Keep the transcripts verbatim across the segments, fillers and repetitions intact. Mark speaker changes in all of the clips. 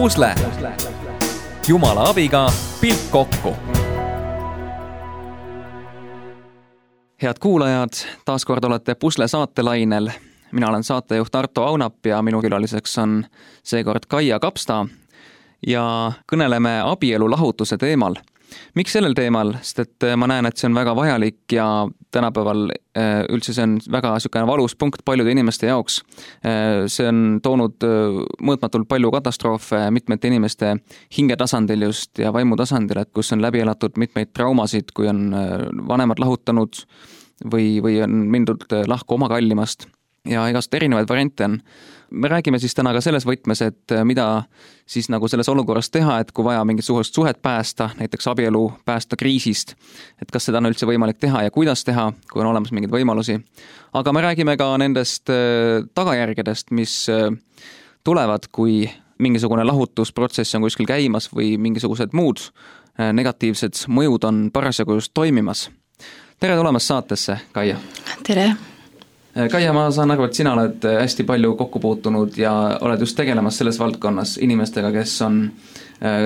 Speaker 1: Pusle. Jumala abiga pilk kokku. Head kuulajad, taas kord olete Pusle saatelainel. Mina olen saatejuht Arto Aunap ja minu külaliseks on seekord Kaia Kapsta ja kõneleme abielu lahutuse teemal. Miks sellel teemal? Sest et ma näen, et see on väga vajalik ja tänapäeval üldse see on väga sükene valus punkt paljude inimeste jaoks. See on toonud mõõtmatult palju katastroofe mitmete inimeste hingetasandil just ja vaimutasandil, et kus on läbi elatud mitmeid traumasid, kui on vanemad lahutanud või, või on mindud lahku oma kallimast ja igast erinevaid variante on. Me räägime siis täna ka selles võtmes, et mida siis nagu selles olukorras teha, et kui vaja mingit suhest suhet päästa, näiteks abielu päästa kriisist, et kas seda on üldse võimalik teha ja kuidas teha, kui on olemas mingeid võimalusi. Aga me räägime ka nendest tagajärgedest, mis tulevad, kui mingisugune lahutusprotsess on kuskil käimas või mingisugused muud negatiivsed mõjud on parasjagu just toimimas. Tere tulemast saatesse, Kaia!
Speaker 2: Tere!
Speaker 1: Kaia, ma saan aru, et sina oled hästi palju kokku puutunud ja oled just tegelemas selles valdkonnas inimestega, kes on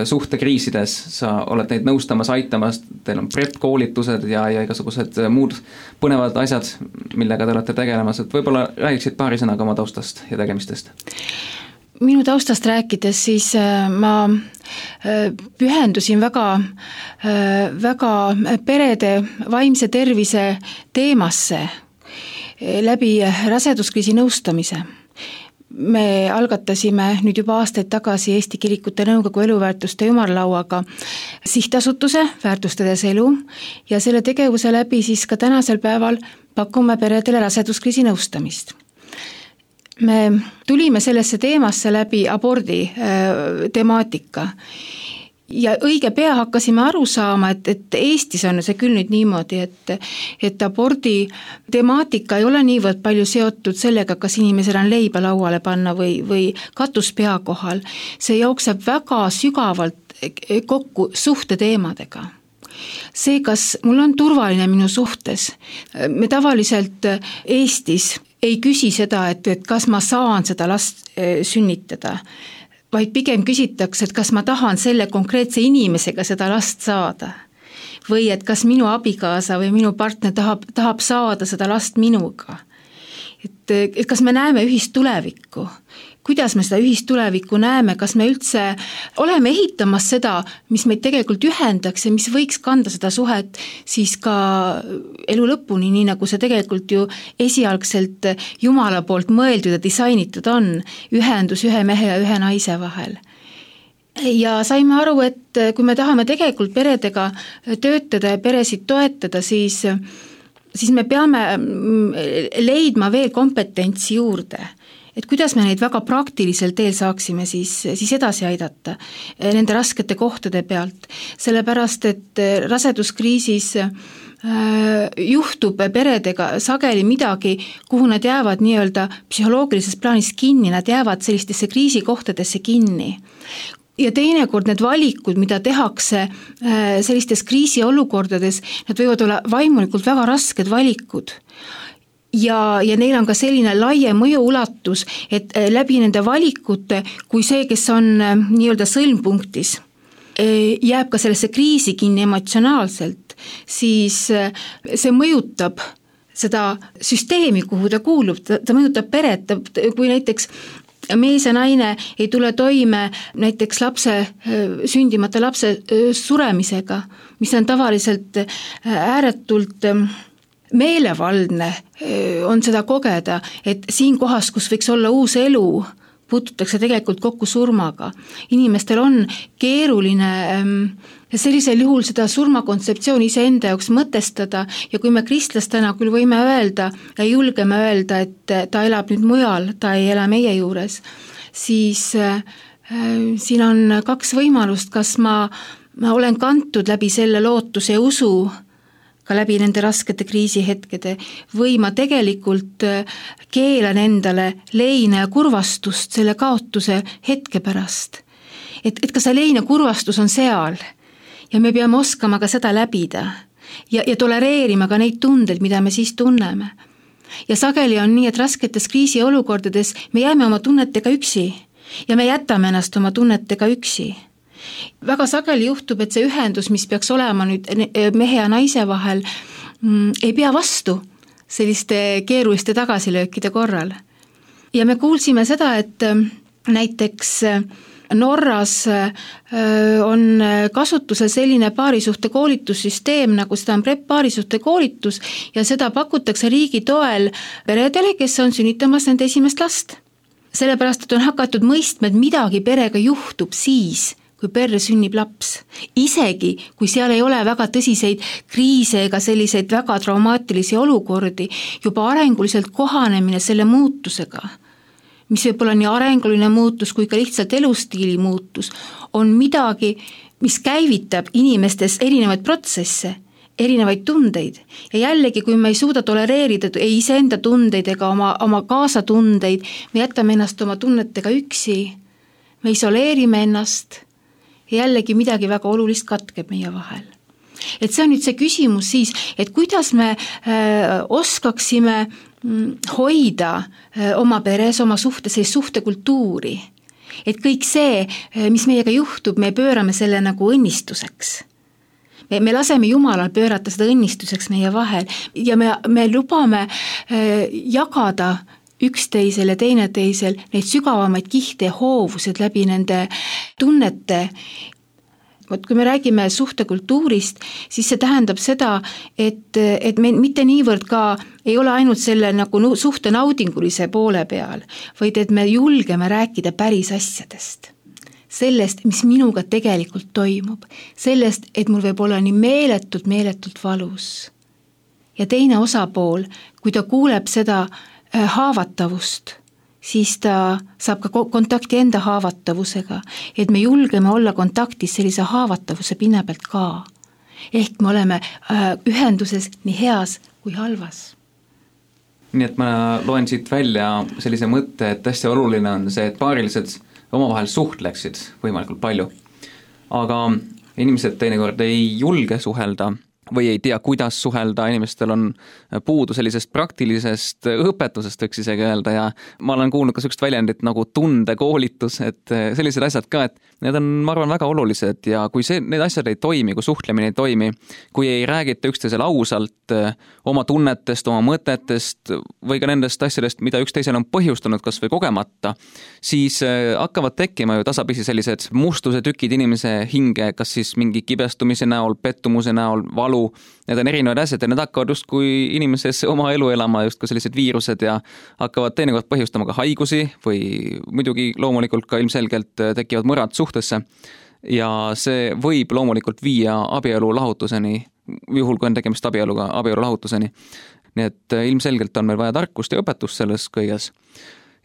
Speaker 1: suhtekriisides. Sa oled neid nõustamas, aitamas, teil on prep-koolitused ja, ja igasugused muud põnevad asjad, millega te olete tegelemas. Et võib-olla räägiksid paari sõnaga oma taustast ja tegemistest?
Speaker 2: Minu taustast rääkides siis ma pühendusin väga, väga perede vaimse tervise teemasse läbi raseduskriisi nõustamise. Me algatasime nüüd juba aastaid tagasi Eesti Kirikute Nõukogu eluväärtuste ümarlauaga sihtasutuse väärtustades elu ja selle tegevuse läbi siis ka tänasel päeval pakume peredele raseduskriisi nõustamist. Me tulime sellesse teemasse läbi abordi temaatika. Ja õige pea hakkasime aru saama, et, et Eestis on see küll nüüd niimoodi, et, et abordi temaatika ei ole niivõrd palju seotud sellega, kas inimesel on leiba lauale panna või, või katus pea kohal. See jookseb väga sügavalt kokku suhteteemadega. See, kas mul on turvaline minu suhtes, me tavaliselt Eestis ei küsi seda, et, et kas ma saan seda last sünnitada, vaid pigem küsitakse, et kas ma tahan selle konkreetse inimesega seda last saada või et kas minu abikaasa või minu partner tahab, tahab saada seda last minuga. Et, et kas me näeme ühist tulevikku, kuidas me seda ühist tulevikku näeme, kas me üldse oleme ehitamas seda, mis meid tegelikult ühendaks ja mis võiks kanda seda suhet siis ka elu lõpuni, nii nagu see tegelikult ju esialgselt Jumala poolt mõeldud ja disainitud on, ühendus ühe mehe ja ühe naise vahel. Ja saime aru, et kui me tahame tegelikult peredega töötada ja peresid toetada, siis siis me peame leidma veel kompetentsi juurde, et kuidas me neid väga praktilisel teel saaksime siis, siis edasi aidata nende raskete kohtade pealt, sellepärast et raseduskriisis juhtub peredega sageli midagi, kuhu nad jäävad nii-öelda psühholoogilises plaanis kinni, nad jäävad sellistesse kriisikohtadesse kinni. Ja teinekord need valikud, mida tehakse sellistes kriisiolukordades, nad võivad olla vaimulikult väga rasked valikud. Ja, ja neil on ka selline laie mõjuulatus, et läbi nende valikute, kui see, kes on nii-öelda sõlmpunktis, jääb ka sellesse kriisi kinni emotsionaalselt, siis see mõjutab seda süsteemi, kuhu ta kuulub, ta, ta mõjutab peret, kui näiteks mees ja naine ei tule toime näiteks lapse, sündimata lapse suremisega, mis on tavaliselt ääretult meelevaldne, on seda kogeda, et siin kohas, kus võiks olla uus elu, puututakse tegelikult kokku surmaga. Inimestel on keeruline sellisel juhul seda surmakontseptsiooni ise enda jaoks mõtestada ja kui me kristlastena küll võime öelda ja julgeme öelda, et ta elab nüüd mujal, ta ei ela meie juures, siis äh, siin on kaks võimalust, kas ma, ma olen kantud läbi selle lootuse ja usu ka läbi nende raskete kriisihetkede või ma tegelikult keelan endale leina ja kurvastust selle kaotuse hetke pärast. Et, et ka see leina kurvastus on seal ja me peame oskama ka seda läbida ja, ja tolereerima ka neid tundeid, mida me siis tunneme. Ja sageli on nii, et rasketes kriisiolukordades me jääme oma tunnetega üksi. ja me jätame ennast oma tunnetega üksi. Väga sageli juhtub, et see ühendus, mis peaks olema nüüd mehe ja naise vahel, ei pea vastu selliste keeruliste tagasilöökide korral. Ja me kuulsime seda, et näiteks Norras on kasutusel selline paarisuhte koolitussüsteem, nagu seda on PrEP paarisuhte koolitus ja seda pakutakse riigi toel peredele, kes on sünnitamas nende esimest last. Sellepärast, et on hakatud mõistma, et midagi perega juhtub siis, kui perre sünnib laps. Isegi, kui seal ei ole väga tõsiseid kriise ega selliseid väga traumaatilisi olukordi, juba arenguliselt kohanemine selle muutusega, mis võib olla nii arenguline muutus kui ka lihtsalt elustiili muutus, on midagi, mis käivitab inimestes erinevaid protsesse, erinevaid tundeid. Ja jällegi, kui me ei suuda tolereerida ei iseenda tundeid ega oma, oma kaasatundeid, me jätame ennast oma tunnetega üksi, me isoleerime ennast ja jällegi midagi väga olulist katkeb meie vahel. Et see on nüüd see küsimus siis, et kuidas me äh, oskaksime hoida oma peres, oma suhte, sellist suhtekultuuri. Et kõik see, mis meiega juhtub, me pöörame selle nagu õnnistuseks. Me, me laseme Jumalal pöörata seda õnnistuseks meie vahel ja me, me lubame jagada üksteisel ja teineteisel neid sügavamaid kihte ja hoovused läbi nende tunnete. Vot kui me räägime suhtekultuurist, siis see tähendab seda, et, et me mitte niivõrd ka ei ole ainult selle nagu suhte naudingulise poole peal, vaid et me julgeme rääkida päris asjadest. Sellest, mis minuga tegelikult toimub. Sellest, et mul võib olla nii meeletult, meeletult valus. Ja teine osapool, kui ta kuuleb seda haavatavust, siis ta saab ka kontakti enda haavatavusega, et me julgeme olla kontaktis sellise haavatavuse pinna pealt ka. Ehk me oleme ühenduses nii heas kui halvas.
Speaker 1: Nii et ma loen siit välja sellise mõtte, et hästi oluline on see, et paarilised omavahel suhtleksid võimalikult palju. Aga inimesed teinekord ei julge suhelda või ei tea, kuidas suhelda, inimestel on puudu sellisest praktilisest õpetusest, võiks isegi öelda, ja ma olen kuulnud ka sellist väljendit nagu tundekoolitus, et sellised asjad ka, et need on, ma arvan, väga olulised ja kui see, need asjad ei toimi, kui suhtlemine ei toimi, kui ei räägita üksteisele ausalt oma tunnetest, oma mõtetest või ka nendest asjadest, mida üksteisele on põhjustanud kas või kogemata, siis hakkavad tekkima ju tasapisi sellised mustuse tükid inimese hinge, kas siis mingi kibestumise näol, pettumuse näol, valu. Need on erinevad asjad ja need hakkavad just kui inimeses oma elu elama just kui sellised viirused ja hakkavad teinekord põhjustama ka haigusi või muidugi loomulikult ka ilmselgelt tekivad mõrad suhtesse ja see võib loomulikult viia abielu lahutuseni, juhul kui on tegemist abieluga, abielu lahutuseni. Nii et ilmselgelt on meil vaja tarkust ja õpetust selles kõiges.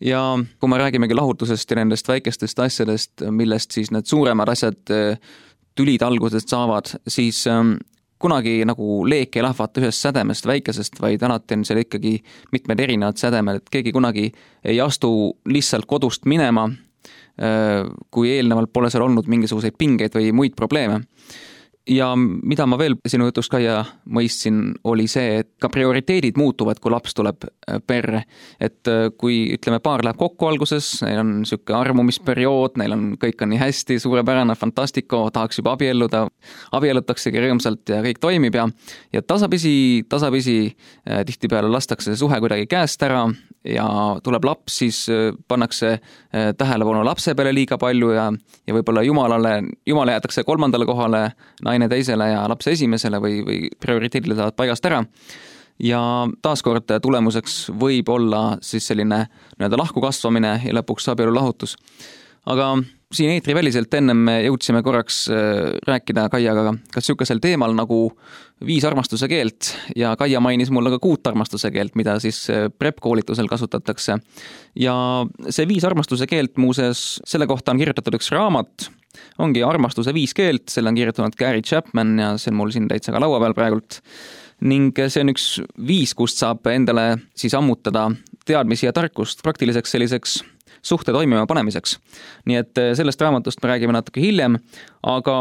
Speaker 1: Ja kui me räägimegi lahutusest ja nendest väikestest asjadest, millest siis need suuremad asjad tülid algusest saavad, siis kunagi nagu leek ei lahvata ühest sädemest väikesest, vaid alati on seal ikkagi mitmed erinevad sädemed, et keegi kunagi ei astu lihtsalt kodust minema, kui eelnevalt pole seal olnud mingisuguseid pingeid või muid probleeme. Ja mida ma veel sinu jutust Kaia mõistsin, oli see, et ka prioriteedid muutuvad, kui laps tuleb perre. Et kui ütleme, paar läheb kokku alguses, neil on siuke armumisperiood, neil on kõik on nii hästi, suurepärane, fantastiko, tahaks juba abielluda, abiellutaksegi rõõmsalt ja kõik toimib ja, ja tasapisi, tasapisi tihtipeale lastakse suhe kuidagi käest ära ja tuleb laps, siis pannakse tähelepanu lapse peale liiga palju ja, ja võib-olla jumalale, jumala jäetakse kolmandale kohale, naine teisele ja lapse esimesele või, või prioriteedile saavad paigast ära. Ja taaskord tulemuseks võib olla siis selline nii-öelda lahku kasvamine ja lõpuks abielu lahutus. Aga siin eetriväliselt ennem me jõudsime korraks rääkida Kaiaga kas sükesel teemal nagu viis armastuse keelt ja Kaia mainis mulle ka kuut armastuse keelt, mida siis PrEP koolitusel kasutatakse. Ja see viis armastuse keelt muuseas, selle kohta on kirjutatud üks raamat, ongi armastuse viis keelt, selle on kirjutanud Gary Chapman ja see on mul siin täitsa ka laua peal praegult. Ning see on üks viis, kust saab endale siis ammutada teadmisi ja tarkust praktiliseks selliseks suhte toimima panemiseks. Nii et sellest raamatust me räägime natuke hiljem, aga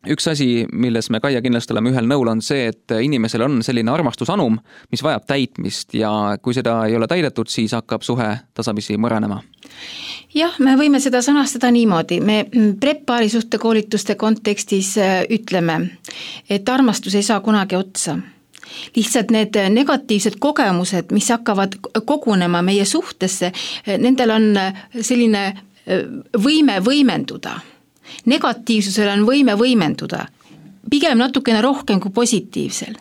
Speaker 1: üks asi, milles me Kaia kindlasti oleme ühel nõul, on see, et inimesel on selline armastusanum, mis vajab täitmist ja kui seda ei ole täidetud, siis hakkab suhe tasapisi mõranema.
Speaker 2: Jah, me võime seda sõnastada niimoodi. Me prep-paari suhte koolituste kontekstis ütleme, et armastus ei saa kunagi otsa. Lihtsalt need negatiivsed kogemused, mis hakkavad kogunema meie suhtesse, nendel on selline võime võimenduda. Negatiivsusel on võime võimenduda, pigem natukene rohkem kui positiivsel.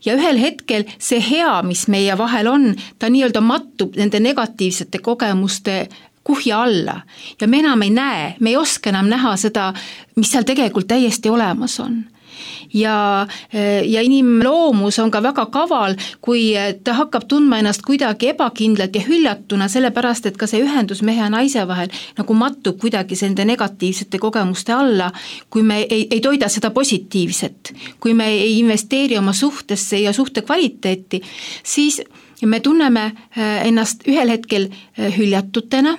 Speaker 2: Ja ühel hetkel see hea, mis meie vahel on, ta nii-öelda mattub nende negatiivsete kogemuste kuhja alla ja me enam ei näe, me ei oska enam näha seda, mis seal tegelikult täiesti olemas on. Ja, ja inimloomus on ka väga kaval, kui ta hakkab tundma ennast kuidagi ebakindlalt ja hüljatuna, sellepärast, et ka see ühendus mehe ja naise vahel nagu mattub kuidagi nende negatiivsete kogemuste alla, kui me ei, ei toida seda positiivset, kui me ei investeeri oma suhtesse ja suhte kvaliteeti, siis me tunneme ennast ühel hetkel hüljatutena,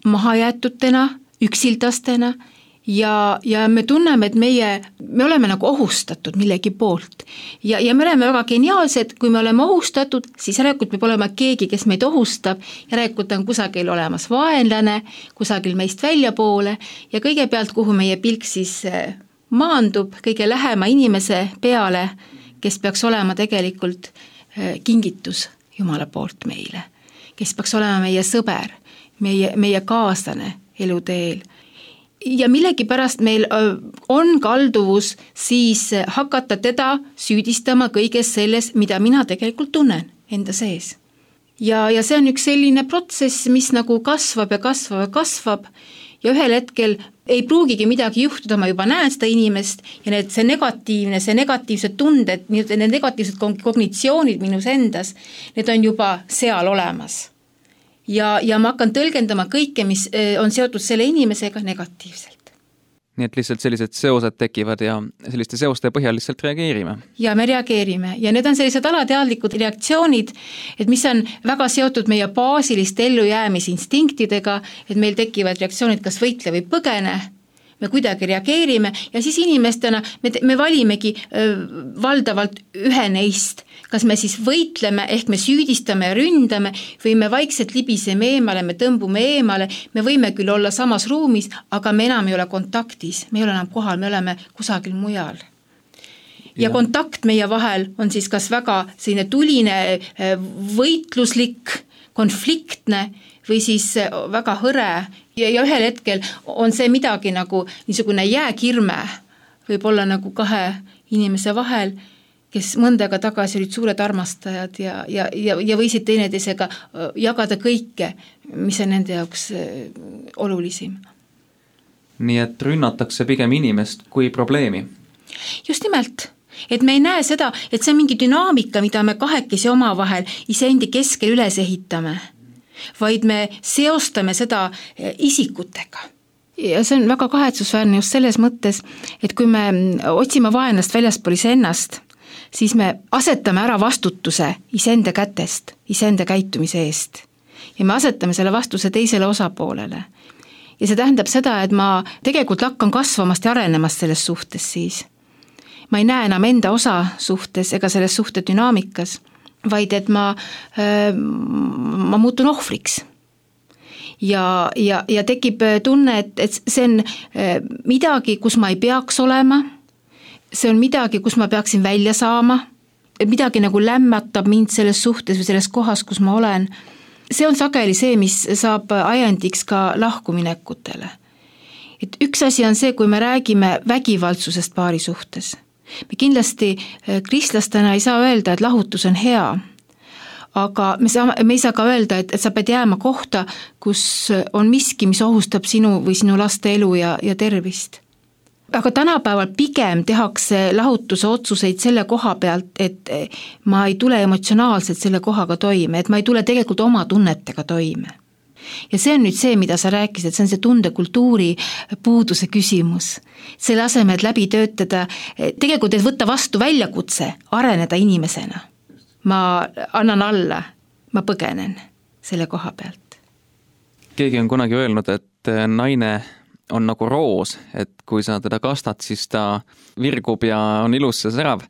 Speaker 2: mahajäetutena, üksildastena, Ja, ja me tunneme, et meie, me oleme nagu ohustatud millegi poolt ja, ja me oleme väga geniaalsed, kui me oleme ohustatud, siis järelikult peab olema keegi, kes meid ohustab, järelikult on kusagil olemas vaenlane, kusagil meist väljapoole ja kõigepealt, kuhu meie pilk siis maandub, kõige lähema inimese peale, kes peaks olema tegelikult kingitus Jumala poolt meile, kes peaks olema meie sõber, meie, meie kaaslane eluteel. Ja millegipärast meil on kalduvus siis hakata teda süüdistama kõiges selles, mida mina tegelikult tunnen enda sees. Ja, ja see on üks selline protsess, mis nagu kasvab ja kasvab ja kasvab ja ühel hetkel ei pruugigi midagi juhtuda, ma juba näen seda inimest ja need, see negatiivne, see negatiivsed tunded, need negatiivsed kognitsioonid minus endas, need on juba seal olemas. Ja, ja ma hakkan tõlgendama kõike, mis on seotud selle inimesega negatiivselt.
Speaker 1: Nii et lihtsalt sellised seosed tekivad ja selliste seoste põhjal lihtsalt reageerime.
Speaker 2: Ja me reageerime ja need on sellised alateadlikud reaktsioonid, et mis on väga seotud meie baasiliste ellujäämisinstinktidega, et meil tekivad reaktsioonid kas võitle või põgene, me kuidagi reageerime ja siis inimestena me, me valimegi öö, valdavalt ühe neist, kas me siis võitleme ehk me süüdistame ja ründame või me vaikselt libiseme eemale, me tõmbume eemale, me võime küll olla samas ruumis, aga me enam ei ole kontaktis, me ei ole enam kohal, me oleme kusagil mujal. Ja, ja kontakt meie vahel on siis kas väga selline tuline, võitluslik, konfliktne või siis väga hõre ja, ja ühel hetkel on see midagi nagu niisugune jääkirme võib olla nagu kahe inimese vahel, kes mõndaga tagasi olid suured armastajad ja, ja, ja, ja võisid teineteisega jagada kõike, mis on nende jaoks olulisim.
Speaker 1: Nii et rünnatakse pigem inimest kui probleemi?
Speaker 2: Just nimelt. Et me ei näe seda, et see on mingi dünaamika, mida me kahekesi oma vahel iseendi keskel üles ehitame, vaid me seostame seda isikutega. Ja see on väga kahetsusväärne just selles mõttes, et kui me otsime vaenlast väljaspool iseennast, siis me asetame ära vastutuse iseenda kätest, iseenda käitumise eest. Ja me asetame selle vastuse teisele osapoolele. Ja see tähendab seda, et ma tegelikult hakkan kasvamast ja arenemast selles suhtes siis. Ma ei näe enam enda osa suhtes ega selles suhte dünaamikas, vaid et ma, ma muutun ohvriks. Ja, ja, ja tekib tunne, et, et see on midagi, kus ma ei peaks olema, see on midagi, kus ma peaksin välja saama, midagi nagu lämmatab mind selles suhtes või selles kohas, kus ma olen. See on sageli see, mis saab ajendiks ka lahkuminekutele. Et üks asi on see, kui me räägime vägivaldsusest paari suhtes. Me kindlasti kristlastena ei saa öelda, et lahutus on hea, aga me, saa, me ei saa ka öelda, et, et sa pead jääma kohta, kus on miski, mis ohustab sinu või sinu laste elu ja, ja tervist. Aga tänapäeval pigem tehakse lahutuse otsuseid selle koha pealt, et ma ei tule emotsionaalselt selle kohaga toime, et ma ei tule tegelikult oma tunnetega toime. Ja see on nüüd see, mida sa rääkisid, see on see tundekultuuri puuduse küsimus. Selle aseme, et läbi töötada, tegelikult et võtta vastu väljakutse, areneda inimesena. Ma annan alla, ma põgenen selle koha pealt.
Speaker 1: Keegi on kunagi öelnud, et naine on nagu roos, et kui sa teda kastad, siis ta virgub ja on ilus ja särav,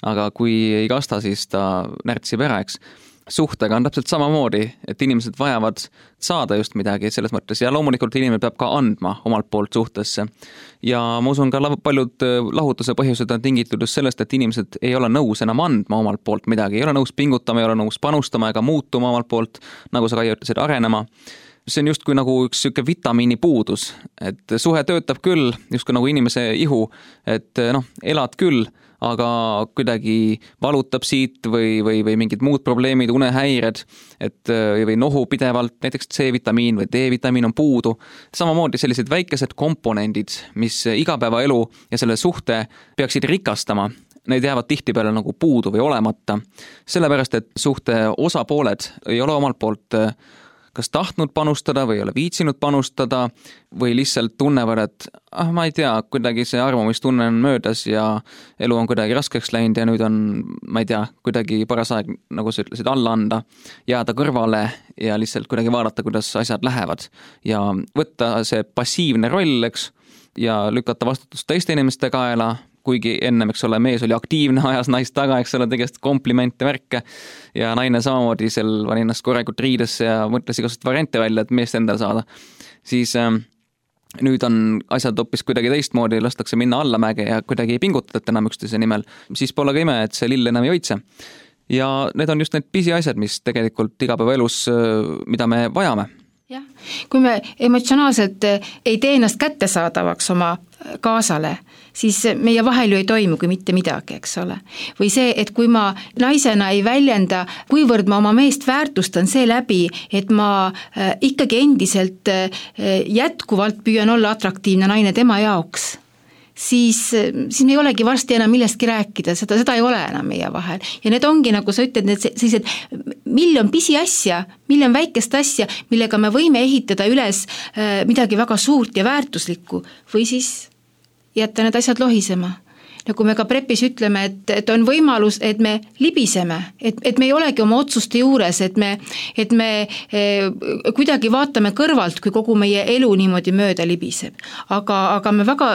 Speaker 1: aga kui ei kasta, siis ta närtsib ära, eks. Suhtega on täpselt samamoodi, et inimesed vajavad saada just midagi selles mõttes ja loomulikult inimene peab ka andma omalt poolt suhtesse. Ja ma usun ka paljud lahutuse põhjused on tingitud just sellest, et inimesed ei ole nõus enam andma omalt poolt midagi, ei ole nõus pingutama, ei ole nõus panustama ega muutuma omalt poolt, nagu sa ka ütlesid, arenema. See on just kui nagu üks süke vitamiini puudus, et suhe töötab küll, just kui nagu inimese ihu, et noh, elad küll, aga kuidagi valutab siit või, või, või mingid muud probleemid, unehäired, et või nohu pidevalt, näiteks C-vitamiin või D-vitamiin on puudu. Samamoodi sellised väikesed komponendid, mis igapäevaelu ja selle suhte peaksid rikastama, need jäävad tihtipeale nagu puudu või olemata. Sellepärast, et suhte osapooled ei ole omalt poolt kas tahtnud panustada või ei ole viitsinud panustada või lihtsalt tunnevad, et ah, ma ei tea, kuidagi see armumistunne on möödas ja elu on kuidagi raskeks läinud ja nüüd on, ma ei tea, kuidagi paras aeg, nagu sa ütlesid, alla anda, jääda kõrvale ja lihtsalt kuidagi vaadata, kuidas asjad lähevad ja võtta see passiivne roll, eks, ja lükata vastutust teiste inimeste kaela, kuigi ennem, eks ole, mees oli aktiivne, ajas naist taga, eks ole, tegest komplimente, värke ja naine samamoodi seal pani ennast korralikult riidesse ja mõtles igast variante välja, et meest endale saada. Siis äh, nüüd on asjad hoopis kuidagi teistmoodi, lastakse minna allamäge ja kuidagi ei pingutata enam üksteise nimel. Siis pole ka ime, et see lill enam ei hoidse. Ja need on just need pisiasjad, mis tegelikult igapäevaelus, mida me vajame.
Speaker 2: Jah, kui me emotsionaalselt ei tee ennast kättesaadavaks oma kaasale, siis meie vahel ju ei toimu kui mitte midagi, eks ole. Või see, et kui ma naisena ei väljenda, kuivõrd ma oma meest väärtustan see läbi, et ma ikkagi endiselt jätkuvalt püüan olla atraktiivne naine tema jaoks, siis, siis me ei olegi varsti enam millestki rääkida, seda, seda ei ole enam meie vahel. Ja need ongi, nagu sa ütled, need sellised miljon pisi asja, miljon väikest asja, millega me võime ehitada üles midagi väga suurt ja väärtuslikku või siis jätta need asjad lohisema. Nagu me ka prepis ütleme, et, et on võimalus, et me libiseme, et, et me ei olegi oma otsuste juures, et me, et me eh, kuidagi vaatame kõrvalt, kui kogu meie elu niimoodi mööda libiseb. Aga, aga me väga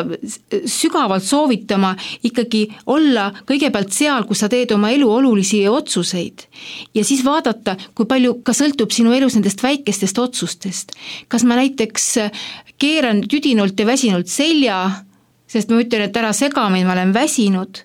Speaker 2: sügavalt soovitama ikkagi olla kõigepealt seal, kus sa teed oma elu olulisi otsuseid ja siis vaadata, kui palju ka sõltub sinu elus nendest väikestest otsustest. Kas ma näiteks keeran tüdinult ja väsinult selja, sest ma ütlen, et ära segamin, ma olen väsinud,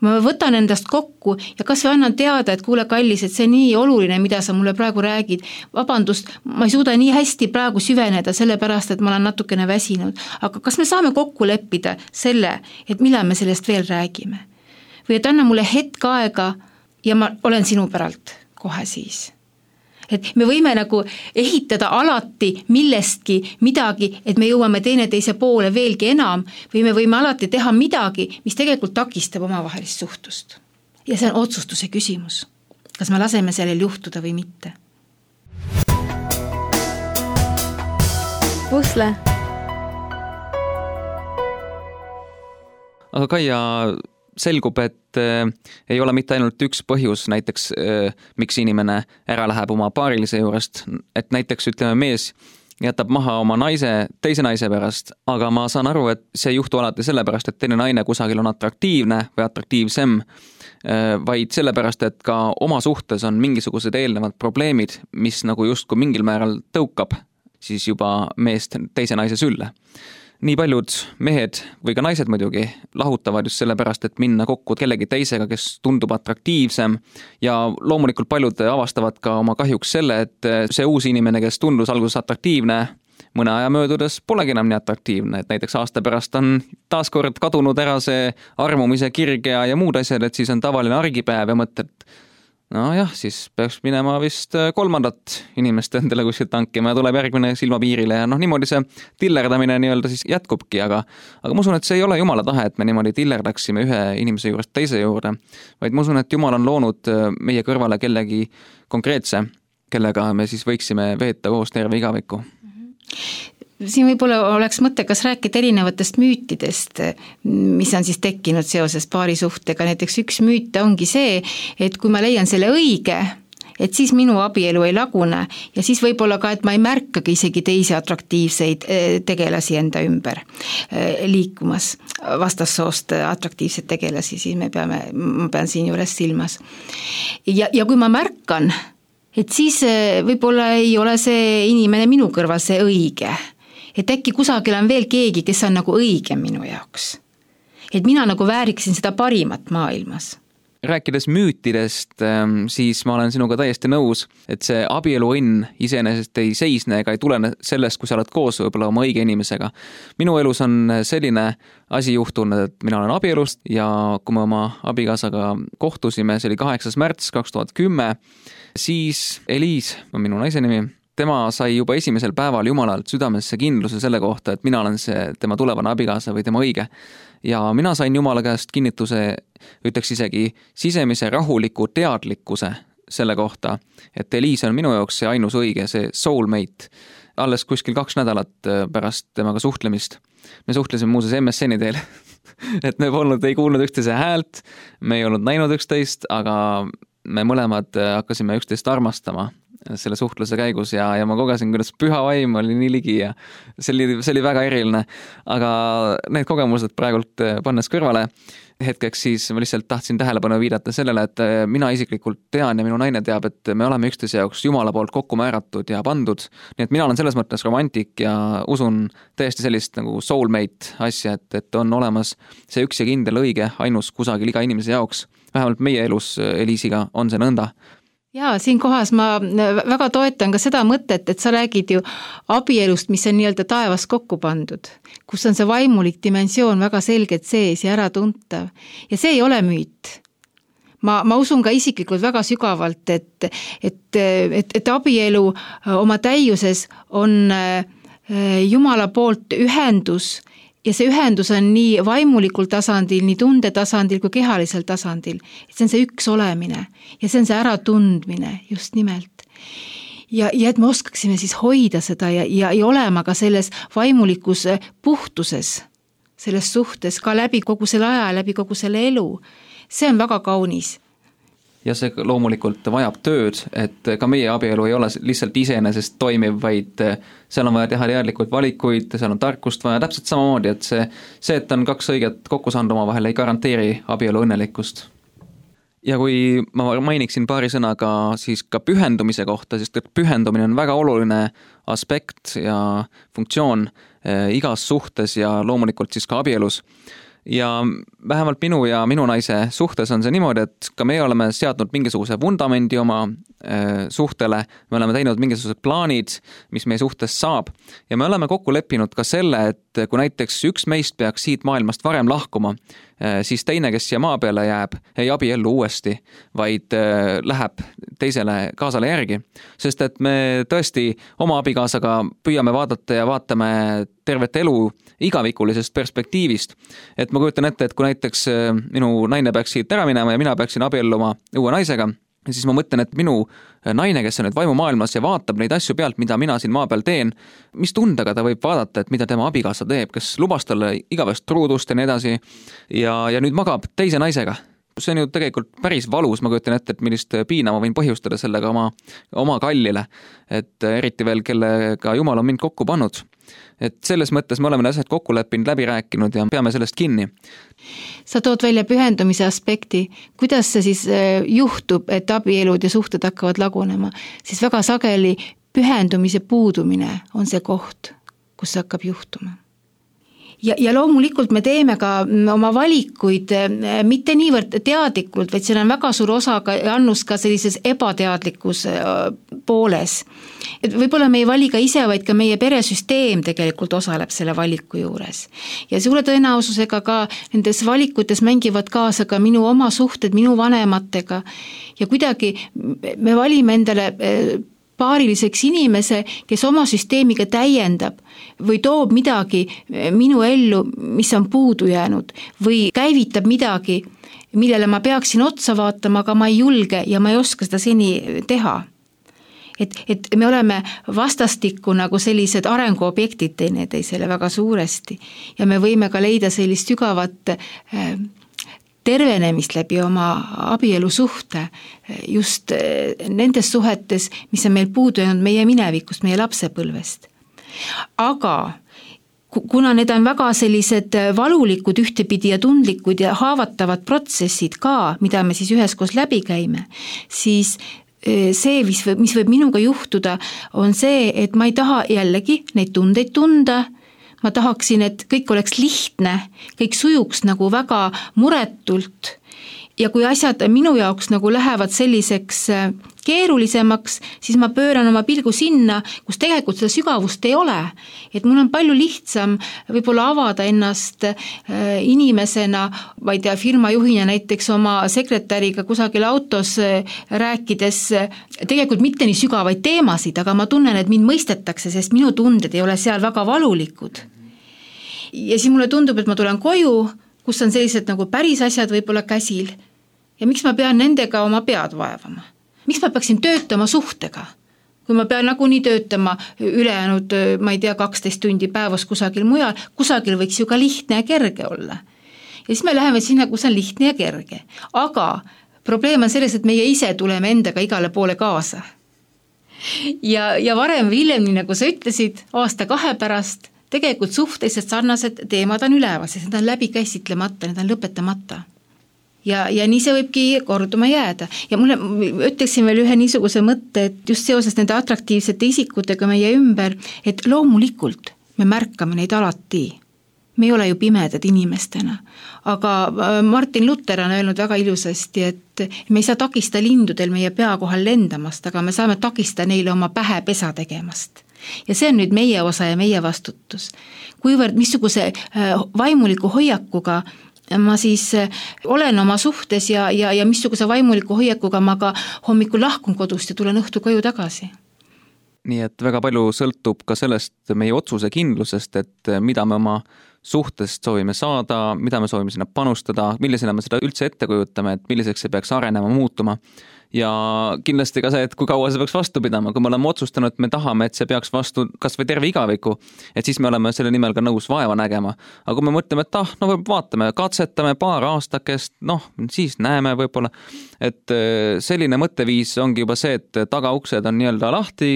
Speaker 2: ma võtan endast kokku ja kas või annan teada, et kuule kallis, et see on nii oluline, mida sa mulle praegu räägid. Vabandust, ma ei suuda nii hästi praegu süveneda, sellepärast, et ma olen natukene väsinud. Aga kas me saame kokku leppida selle, et millal me sellest veel räägime? Või et anna mulle hetk aega ja ma olen sinu päralt kohe siis. Et me võime nagu ehitada alati millestki midagi, et me jõuame teineteise poole veelgi enam, või me võime alati teha midagi, mis tegelikult takistab omavahelist suhtust. Ja see on otsustuse küsimus. Kas me laseme sellel juhtuda või mitte?
Speaker 3: Pusle.
Speaker 1: Aga Kaia, selgub, et äh, ei ole mitte ainult üks põhjus näiteks, äh, miks inimene ära läheb oma paarilise juurest, et näiteks ütleme mees jätab maha oma naise teise naise pärast, aga ma saan aru, et see ei juhtu alati sellepärast, et teine naine kusagil on atraktiivne või atraktiivsem, äh, vaid sellepärast, et ka oma suhtes on mingisugused eelnevad probleemid, mis nagu justkui mingil määral tõukab siis juba meest teise naise sülle. Nii paljud mehed või ka naised muidugi lahutavad just sellepärast, et minna kokku kellegi teisega, kes tundub atraktiivsem ja loomulikult paljud avastavad ka oma kahjuks selle, et see uus inimene, kes tundus alguses atraktiivne, mõne aja möödudes polegi enam nii atraktiivne, et näiteks aasta pärast on taaskord kadunud ära see armumise kirg ja, ja muud asjad, et siis on tavaline argipäev ja mõtled, no jah, siis peaks minema vist kolmandat inimest endale kuskilt tankima ja tuleb järgmine silmapiirile ja noh, niimoodi see tillerdamine nii-öelda siis jätkubki, aga, aga ma usun, et see ei ole Jumala tahe, et me niimoodi tillerdaksime ühe inimese juurest teise juurde, vaid ma usun, et Jumal on loonud meie kõrvale kellegi konkreetse, kellega me siis võiksime veeta koos terve igaviku.
Speaker 2: Siin võib-olla oleks mõttekas rääkida erinevatest müütidest, mis on siis tekkinud seoses paari suhtega. Näiteks üks müüt ongi see, et kui ma leian selle õige, et siis minu abielu ei lagune ja siis võib-olla ka, et ma ei märkagi isegi teisi atraktiivseid tegelasi enda ümber liikumas, vastassoost atraktiivseid tegelasi, siis me peame, ma pean siin juures silmas. Ja, ja kui ma märkan, et siis võib-olla ei ole see inimene minu kõrval see õige, et äkki kusagil on veel keegi, kes on nagu õige minu jaoks. Et mina nagu vääriksin seda parimat maailmas.
Speaker 1: Rääkides müütidest, siis ma olen sinuga täiesti nõus, et see abieluõnn iseenesest ei seisne ega ei tulene sellest, kui sa oled koos võib-olla oma õige inimesega. Minu elus on selline asi juhtunud, et mina olen abielust ja kui me oma abikaasaga kohtusime, see oli kaheksas märts kaks tuhat kümme, siis Eliis, minu naise nimi, tema sai juba esimesel päeval Jumalalt südamesse kindluse selle kohta, et mina olen see tema tulevane abikaasa või tema õige. Ja mina sain Jumala käest kinnituse, ütleks isegi sisemise rahuliku teadlikkuse selle kohta, et Eliis on minu jaoks see ainus õige, see soulmate. Alles kuskil kaks nädalat pärast temaga suhtlemist. Me suhtlesime muuses M S N-i teel, et me polnud, ei kuulnud üksteise häält, me ei olnud näinud üksteist, aga me mõlemad hakkasime üksteist armastama selle suhtluse käigus ja, ja ma kogesin, kuidas püha vaim oli nii ligi ja see oli, see oli väga eriline. Aga need kogemused praegult pannes kõrvale hetkeks, siis ma lihtsalt tahtsin tähelepanu viidata sellele, et mina isiklikult tean ja minu naine teab, et me oleme üksteise jaoks Jumala poolt kokku määratud ja pandud. Nii et mina olen selles mõttes romantik ja usun täiesti sellist nagu soulmate asja, et, et on olemas see üks ja kindel õige ainus kusagil iga inimese jaoks. Vähemalt meie elus Eliisiga on see nõnda.
Speaker 2: Jaa, siin kohas ma väga toetan ka seda mõtet, et sa räägid ju abielust, mis on nii-öelda taevas kokku pandud, kus on see vaimulik dimensioon väga selgelt sees ja ära tuntav. Ja see ei ole müüt. Ma, ma usun ka isiklikult väga sügavalt, et, et, et, et abielu oma täiuses on Jumala poolt ühendus ja see ühendus on nii vaimulikul tasandil, nii tunde tasandil kui kehalisel tasandil. Et see on see üks olemine ja see on see äratundmine just nimelt. Ja, ja et me oskaksime siis hoida seda ja, ja, ja olema ka selles vaimulikus puhtuses, selles suhtes ka läbi kogu selle aja, läbi kogu selle elu. See on väga kaunis.
Speaker 1: Ja see loomulikult vajab tööd, et ka meie abielu ei ole lihtsalt iseenesest toimiv, vaid seal on vaja teha teadlikult valikuid, seal on tarkust vaja täpselt samamoodi, et see, see, et on kaks õiget kokku saanud oma vahel, ei garanteeri abielu õnnelikkust. Ja kui ma mainiksin paari sõnaga siis ka pühendumise kohta, sest pühendumine on väga oluline aspekt ja funktsioon igas suhtes ja loomulikult siis ka abielus. Ja vähemalt minu ja minu naise suhtes on see niimoodi, et ka meie oleme seadnud mingisuguse vundamendi oma äh, suhtele, me oleme teinud mingisugused plaanid, mis meie suhtes saab ja me oleme kokku leppinud ka selle, et kui näiteks üks meist peaks siit maailmast varem lahkuma, äh, siis teine, kes siia maa peale jääb, ei abiellu uuesti, vaid äh, läheb teisele kaasale järgi, sest et me tõesti oma abikaasaga püüame vaadata ja vaatame tervet elu igavikulisest perspektiivist. Et ma kujutan ette, et kui näiteks minu naine peaks siit ära minema ja mina peaksin abielluma uue naisega, siis ma mõtlen, et minu naine, kes on nüüd vaimumaailmas ja vaatab neid asju pealt, mida mina siin maa peal teen, mis tundega ta võib vaadata, et mida tema abikaasa teeb, kes lubas talle igavest truudust ja nii edasi ja, ja nüüd magab teise naisega. See on ju tegelikult päris valus, ma kujutan ette, et millist piina ma võin põhjustada sellega oma, oma kallile, et eriti veel, kellega Jumal on mind kokku pannud. Et selles mõttes me oleme asjad kokku leppinud, läbi rääkinud ja peame sellest kinni.
Speaker 2: Sa tood välja pühendumise aspekti. Kuidas see siis juhtub, et abielud ja suhted hakkavad lagunema? Siis väga sageli pühendumise puudumine on see koht, kus see hakkab juhtuma. Ja, ja loomulikult me teeme ka oma valikuid mitte niivõrd teadlikult, vaid seal on väga suur osa ka, annus ka sellises ebateadlikus pooles. Et võib-olla me ei vali ka ise, vaid ka meie peresüsteem tegelikult osaleb selle valiku juures. Ja suure tõenäosusega ka nendes valikutes mängivad kaasa ka minu oma suhted, minu vanematega ja kuidagi me valime endale paariliseks inimese, kes oma süsteemiga täiendab või toob midagi minu ellu, mis on puudu jäänud või käivitab midagi, millele ma peaksin otsa vaatama, aga ma ei julge ja ma ei oska seda seni teha. Et, et me oleme vastastikku nagu sellised arenguobjektid teineteisele väga suuresti ja me võime ka leida sellist sügavat tervenemist läbi oma abielusuhte just nendes suhetes, mis on meil puudu jäänud meie minevikust, meie lapsepõlvest. Aga kuna need on väga sellised valulikud ühtepidi ja tundlikud ja haavatavad protsessid ka, mida me siis üheskoos läbi käime, siis see, mis võib, mis võib minuga juhtuda, on see, et ma ei taha jällegi neid tundeid tunda, ma tahaksin, et kõik oleks lihtne, kõik sujuks nagu väga muretult ja kui asjad minu jaoks nagu lähevad selliseks keerulisemaks, siis ma pööran oma pilgu sinna, kus tegelikult seda sügavust ei ole. Et mul on palju lihtsam võib-olla avada ennast inimesena, ma ei tea, firmajuhina näiteks oma sekretäriga kusagil autos rääkides, tegelikult mitte nii sügavaid teemasid, aga ma tunnen, et mind mõistetakse, sest minu tunded ei ole seal väga valulikud. Ja siis mulle tundub, et ma tulen koju, kus on sellised nagu päris asjad võib-olla käsil ja miks ma pean nendega oma pead vaevama? Miks ma peaksin töötama suhtega? Kui ma pean nagunii töötama ülejäänud, ma ei tea, kaksteist tundi päevas kusagil mujal, kusagil võiks ju ka lihtne ja kerge olla. Ja siis me läheme sinna, kus on lihtne ja kerge. Aga probleem on selles, et meie ise tuleme endaga igale poole kaasa. Ja, ja varem või hiljem, nii nagu sa ütlesid, aasta kahe pärast, tegelikult suhteliselt sarnased teemad on üleval, sest need on läbi käsitlemata, need on lõpetamata. Ja, ja nii see võibki korduma jääda. Ja mulle ütleksin veel ühe niisuguse mõtte, et just seoses nende atraktiivsete isikutega meie ümber, et loomulikult me märkame neid alati. Me ei ole ju pimedad inimestena. Aga Martin Luther on öelnud väga ilusasti, et me ei saa takista lindudel meie pea kohal lendamast, aga me saame takista neile oma pähe pesa tegemast. Ja see on nüüd meie osa ja meie vastutus. Kuivõrd missuguse vaimuliku hoiakuga ma siis olen oma suhtes ja, ja, ja missuguse vaimuliku hoiakuga ma ka hommikul lahkun kodust ja tulen õhtu koju tagasi.
Speaker 1: Nii et väga palju sõltub ka sellest meie otsuse kindlusest, et mida me oma suhtest soovime saada, mida me soovime sinna panustada, millisena me seda üldse ette kujutame, et milliseks see peaks arenema, muutuma. Ja kindlasti ka see, et kui kaua see peaks vastu pidama, kui me oleme otsustanud, et me tahame, et see peaks vastu kas või terve igaviku, et siis me oleme selle nimel ka nõus vaeva nägema. Aga kui me mõtleme, et ah, no vaatame, katsetame paar aastakest, noh, siis näeme võib-olla, et selline mõtteviis ongi juba see, et tagauksed on nii-öelda lahti,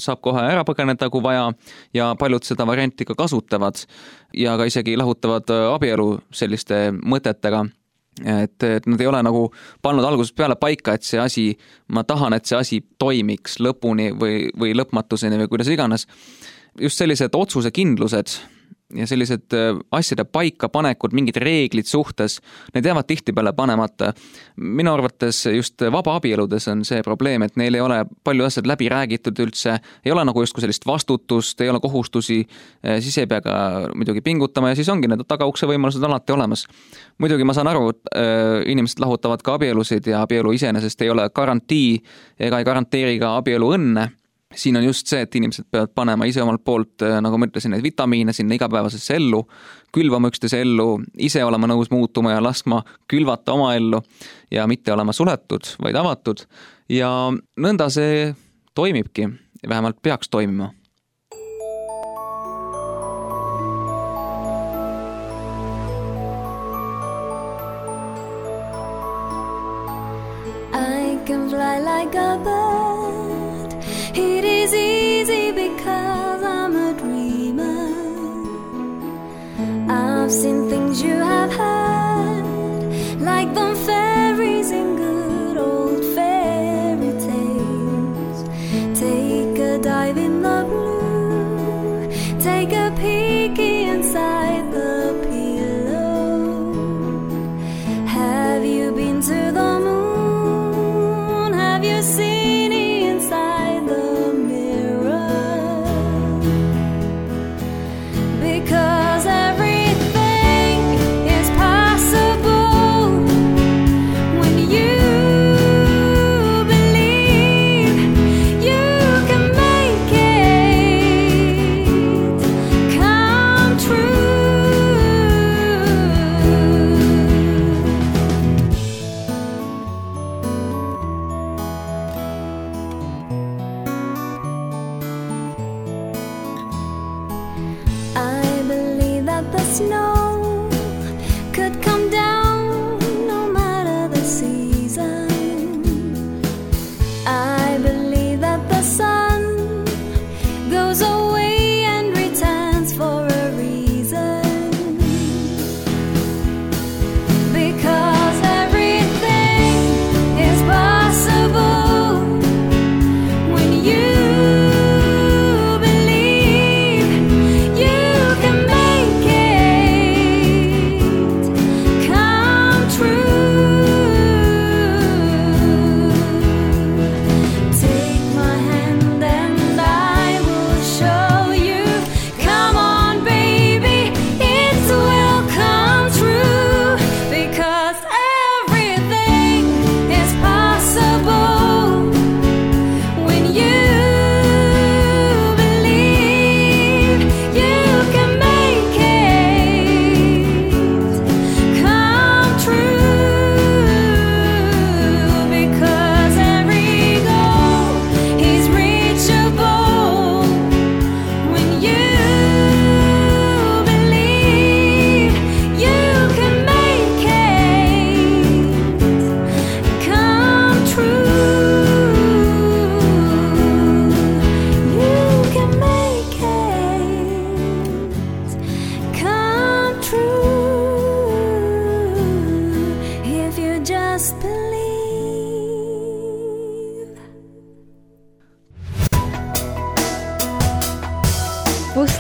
Speaker 1: saab kohe ära põgeneda, kui vaja ja paljud seda varianti ka kasutavad ja ka isegi lahutavad abielu selliste mõtetega. Et, et nad ei ole nagu pannud algusest peale paika, et see asi, ma tahan, et see asi toimiks lõpuni või, või lõpmatuseni või kuidas iganes. Just sellised otsuse kindlused ja sellised asjade paika panekud, mingid reeglid suhtes, need jäävad tihti peale panemata. Minu arvates just vaba abieludes on see probleem, et neil ei ole palju asjad läbi räägitud üldse, ei ole nagu justkui sellist vastutust, ei ole kohustusi, siis ei pea ka muidugi pingutama ja siis ongi need tagaukse võimalused alati olemas. Muidugi ma saan aru, et inimesed lahutavad ka abielusid ja abielu iseenesest ei ole garantii ega ei garanteeri ka abielu õnne. Siin on just see, et inimesed peavad panema ise omalt poolt, nagu ma ütlesin, neid vitamiine sinna igapäevasesse ellu, külvama üksteise ellu, ise olema nõus muutuma ja laskma külvata oma ellu ja mitte olema suletud, vaid avatud. Ja nõnda see toimibki, vähemalt peaks toimima.
Speaker 3: I can fly like a bird. It is easy because I'm a dreamer. I've seen things you have heard, like the fairies in good old fairy tales. Take a dive in the blue, take a peeky inside the pillow. Have you been to the moon? Have you seen because everything is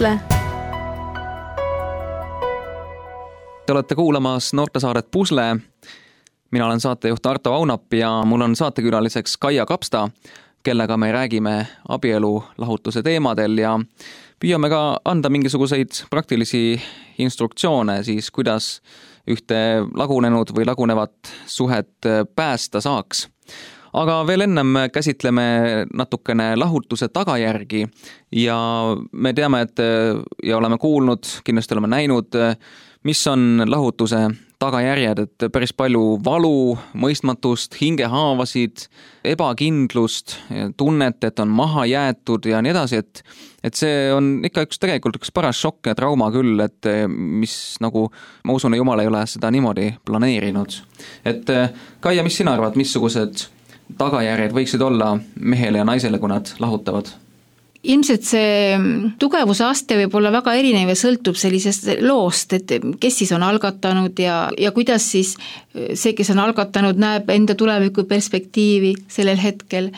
Speaker 3: Pusle.
Speaker 1: Te olete kuulamas noortesaadet Pusle. Mina olen saatejuht Arto Aunap ja mul on saatekülaliseks Kaia Kapsta, kellega me räägime abielu lahutuse teemadel ja püüame ka anda mingisuguseid praktilisi instruktsioone siis, kuidas ühte lagunenud või lagunevat suhet päästa saaks. Aga veel ennem käsitleme natukene lahutuse tagajärgi ja me teame, et ja oleme kuulnud, kindlasti oleme näinud, mis on lahutuse tagajärjed, et päris palju valu, mõistmatust, hingehaavasid, ebakindlust, tunnet, et on maha jäetud ja nii edasi, et, et see on ikka üks tegelikult üks paras šokk ja trauma küll, et mis nagu, ma usun, Jumal ei ole seda niimoodi planeerinud. Et Kaia, mis sina arvad, missugused tagajärjed võiksid olla mehele ja naisele, kui nad lahutavad?
Speaker 2: Ilmselt see tugevuse aste võib olla väga erinev ja sõltub sellisest loost, et kes siis on algatanud ja, ja kuidas siis see, kes on algatanud, näeb enda tuleviku perspektiivi sellel hetkel.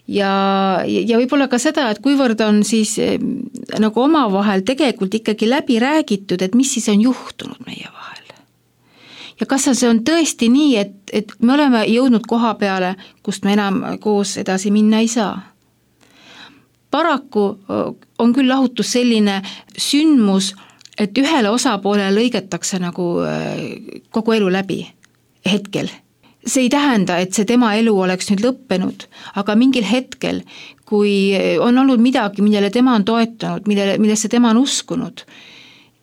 Speaker 2: Ja, ja võib-olla ka seda, et kuivõrd on siis nagu omavahel tegelikult ikkagi läbi räägitud, et mis siis on juhtunud meie vahel. Ja kas see on tõesti nii, et, et me oleme jõudnud koha peale, kust me enam koos edasi minna ei saa. Paraku on küll lahutus selline sündmus, et ühele osapoolele lõigetakse nagu kogu elu läbi hetkel. See ei tähenda, et see tema elu oleks nüüd lõppenud, aga mingil hetkel, kui on olnud midagi, millele tema on toetanud, millele, millesse tema on uskunud,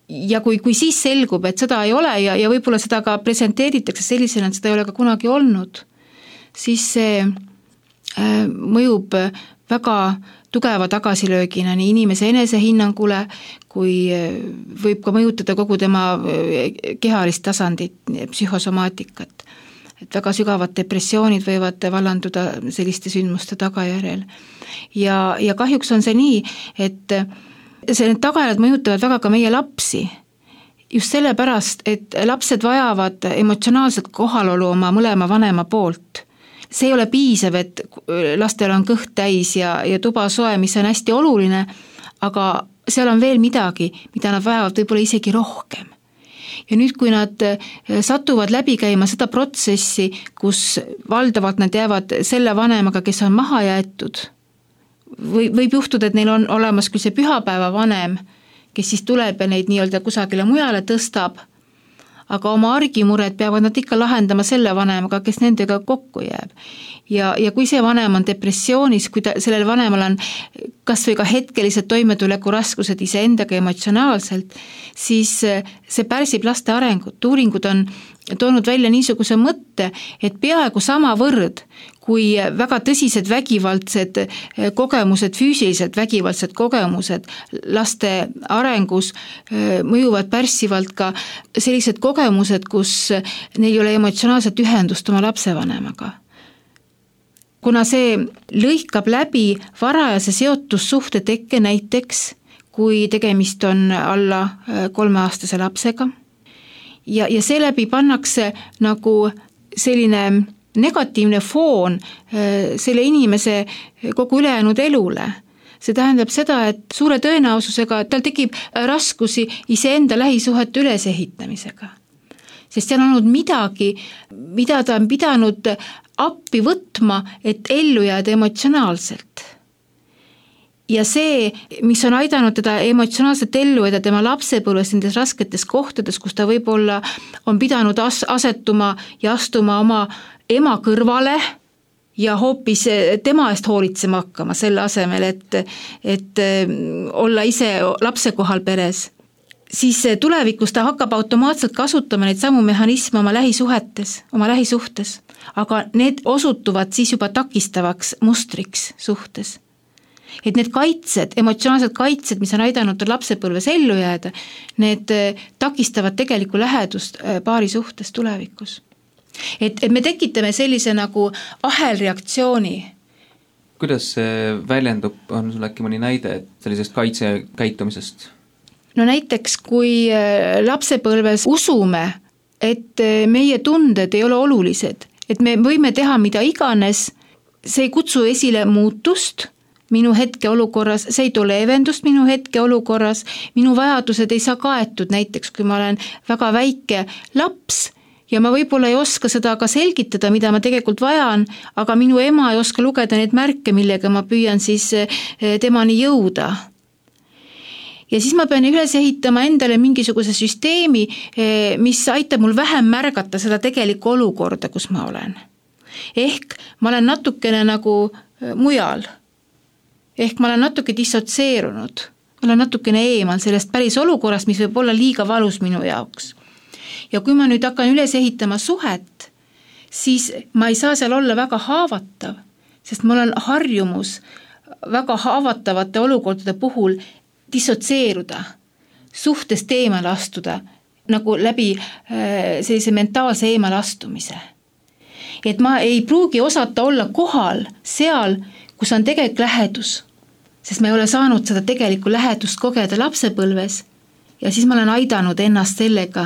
Speaker 2: ja kui, kui siis selgub, et seda ei ole ja, ja võib-olla seda ka presenteeritakse sellisena, et seda ei ole ka kunagi olnud, siis see mõjub väga tugeva tagasilöögina nii inimese enesehinnangule, kui võib ka mõjutada kogu tema kehalist tasandit, psühhosomaatikat. Et väga sügavad depressioonid võivad vallanduda selliste sündmuste tagajärjel. Ja, ja kahjuks on see nii, et see, need tagajärjed mõjutavad väga ka meie lapsi. Just sellepärast, et lapsed vajavad emotsionaalset kohalolu oma mõlema vanema poolt. See ei ole piisav, et lastel on kõht täis ja, ja tuba soe, mis on hästi oluline, aga seal on veel midagi, mida nad vajavad võib-olla isegi rohkem. Ja nüüd, kui nad satuvad läbi käima seda protsessi, kus valdavalt nad jäävad selle vanemaga, kes on maha jäetud, või, võib juhtuda, et neil on olemas küll see pühapäeva vanem, kes siis tuleb ja neid nii-öelda kusagile mujale tõstab, aga oma argimured peavad nad ikka lahendama selle vanemaga, kes nendega kokku jääb. Ja, ja kui see vanem on depressioonis, kui ta, sellel vanemal on kas või ka hetkelised toimetuleku raskused iseendaga emotsionaalselt, siis see pärsib laste arengut. Uuringud on toonud välja niisuguse mõtte, et peaaegu sama võrd, kui väga tõsised vägivaldsed kogemused, füüsiliselt vägivaldsed kogemused laste arengus mõjuvad pärssivalt ka sellised kogemused, kus neil ei ole emotsionaalset ühendust oma lapsevanemaga. Kuna see lõikab läbi varajase seotussuhte tekke näiteks, kui tegemist on alla kolmeaastase lapsega, ja, ja seeläbi pannakse nagu selline negatiivne foon selle inimese kogu ülejäänud elule. See tähendab seda, et suure tõenäosusega tal tekib raskusi iseenda lähisuhete ülesehitamisega. Sest seal on olnud midagi, mida ta on pidanud appi võtma, et ellu jääda emotsionaalselt. Ja see, mis on aidanud teda emotsionaalselt ellu jääda tema lapsepõlves nendes rasketes kohtades, kus ta võib-olla on pidanud as- asetuma ja astuma oma ema kõrvale ja hoopis tema eest hoolitsema hakkama selle asemel, et, et olla ise lapse kohal peres, siis tulevikus ta hakkab automaatselt kasutama neid samu mehhanisme oma lähisuhetes, oma lähisuhtes, aga need osutuvad siis juba takistavaks mustriks suhtes. Et need kaitsed, emotsionaalsed kaitsed, mis on aidanud lapsepõlves ellu jääda, need takistavad tegelikku lähedust paari suhtes tulevikus. Et, et me tekitame sellise nagu ahelreaktsiooni.
Speaker 1: Kuidas see väljendub, on sul äkki mõni näide sellisest kaitsekäitumisest?
Speaker 2: No näiteks, kui lapsepõlves usume, et meie tunded ei ole olulised, et me võime teha mida iganes, see ei kutsu esile muutust minu hetkeolukorras, see ei too leevendust minu hetkeolukorras, minu vajadused ei saa kaetud, näiteks kui ma olen väga väike laps ja ma võib-olla ei oska seda ka selgitada, mida ma tegelikult vajan, aga minu ema ei oska lugeda neid märke, millega ma püüan siis temani jõuda. Ja siis ma pean üles ehitama endale mingisuguse süsteemi, mis aitab mul vähem märgata seda tegelikku olukorda, kus ma olen. Ehk ma olen natukene nagu mujal. Ehk ma olen natuke dissotseerunud, ma olen natukene eemal sellest päris olukorrast, mis võib olla liiga valus minu jaoks. Ja kui ma nüüd hakkan üles ehitama suhet, siis ma ei saa seal olla väga haavatav, sest mul on harjumus väga haavatavate olukordade puhul dissotseeruda, suhtest eemale astuda, nagu läbi sellise mentaalse eemale astumise. Et ma ei pruugi osata olla kohal seal, kus on tegelikult lähedus, sest ma ei ole saanud seda tegelikku lähedust kogeda lapsepõlves ja siis ma olen aidanud ennast sellega,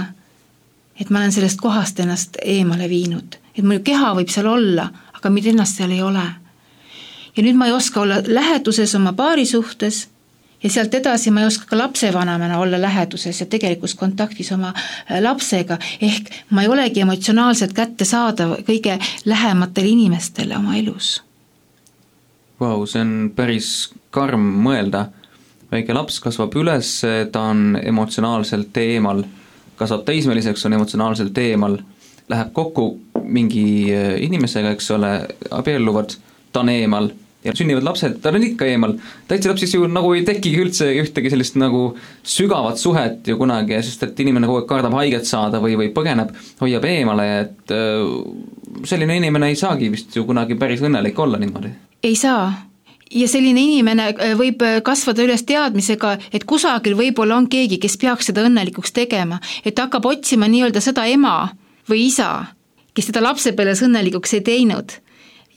Speaker 2: et ma olen sellest kohast ennast eemale viinud. Et mul keha võib seal olla, aga mida ennast seal ei ole. Ja nüüd ma ei oska olla läheduses oma paari suhtes ja sealt edasi ma ei oska ka lapsevanemana olla läheduses ja tegelikus kontaktis oma lapsega, ehk ma ei olegi emotsionaalselt kätte saada kõige lähematele inimestele oma elus.
Speaker 1: Vau, see on päris karm mõelda. Väike laps kasvab üles, ta on emotsionaalselt eemal, kasvab teismeliseks, on emotsionaalselt eemal, läheb kokku mingi inimesega, eks ole, abielluvad, ta on eemal ja sünnivad lapsed, ta on ikka eemal. Täitsa lapsis ju nagu ei tekigi üldse ühtegi sellist nagu sügavat suhet ju kunagi, sest et inimene kogu aeg kardab haiget saada või, või põgeneb, hoiab eemale, et selline inimene ei saagi vist ju kunagi päris õnnelik olla niimoodi.
Speaker 2: Ei saa. Ja selline inimene võib kasvada üles teadmisega, et kusagil võib-olla on keegi, kes peaks seda õnnelikuks tegema, et hakkab otsima nii-öelda seda ema või isa, kes seda lapsepõlves õnnelikuks ei teinud.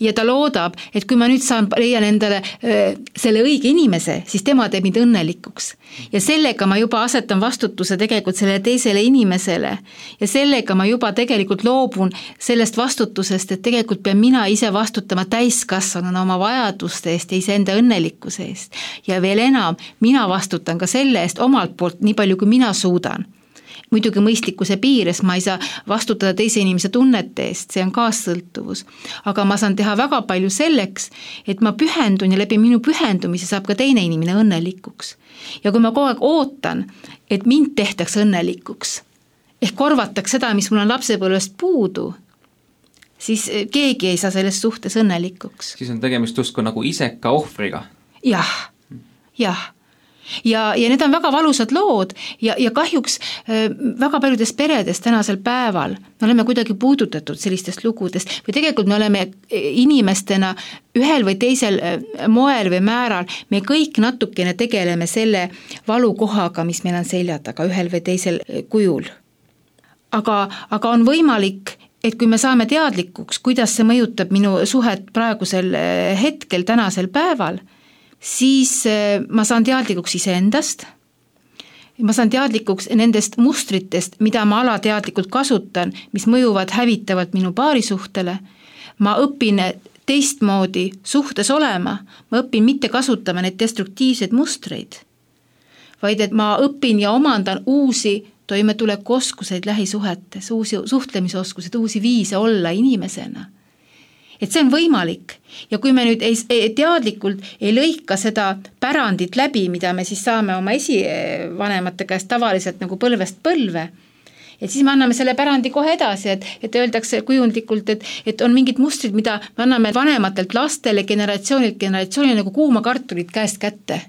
Speaker 2: Ja ta loodab, et kui ma nüüd saan, leian endale öö, selle õige inimese, siis tema teeb mind õnnelikuks. Ja sellega ma juba asetan vastutuse tegelikult sellele teisele inimesele. Ja sellega ma juba tegelikult loobun sellest vastutusest, et tegelikult pean mina ise vastutama täiskasvanuna oma vajaduste eest ja iseenda õnnelikkuse eest. Ja veel enam, mina vastutan ka selle eest omalt poolt nii palju, kui mina suudan. Muidugi mõistlikkuse piires ma ei saa vastutada teise inimese tunnete eest, see on kaassõltuvus. Aga ma saan teha väga palju selleks, et ma pühendun ja läbi minu pühendumise saab ka teine inimene õnnelikuks. Ja kui ma kogu aeg ootan, et mind tehtaks õnnelikuks, ehk korvataks seda, mis mul on lapsepõlvest puudu, siis keegi ei saa selles suhtes õnnelikuks.
Speaker 1: Siis on tegemist justkui nagu iseka ohvriga.
Speaker 2: Jah, jah. Ja, ja need on väga valusad lood ja, ja kahjuks väga paljudes peredes tänasel päeval me oleme kuidagi puudutatud sellistest lugudest või tegelikult me oleme inimestena ühel või teisel moel või määral, me kõik natukene tegeleme selle valukohaga, mis meil on selja taga ühel või teisel kujul. Aga, aga on võimalik, et kui me saame teadlikuks, kuidas see mõjutab minu suhet praegusel hetkel, tänasel päeval, siis ma saan teadlikuks iseendast, ma saan teadlikuks nendest mustritest, mida ma alateadlikult kasutan, mis mõjuvad hävitavalt minu paarisuhtele, ma õpin teistmoodi suhtes olema, ma õpin mitte kasutama neid destruktiivseid mustreid, vaid et ma õpin ja omandan uusi toimetulekuoskuseid lähisuhetes, uusi suhtlemisoskuseid, uusi viise olla inimesena. Et see on võimalik ja kui me nüüd ei, ei, teadlikult ei lõika seda pärandit läbi, mida me siis saame oma esivanemate käest tavaliselt nagu põlvest põlve, et siis me anname selle pärandi kohe edasi, et, et öeldakse kujundlikult, et, et on mingid mustrid, mida me anname vanematelt lastele, generatsioonilt generatsioonile nagu kuuma kartulit käest kätte.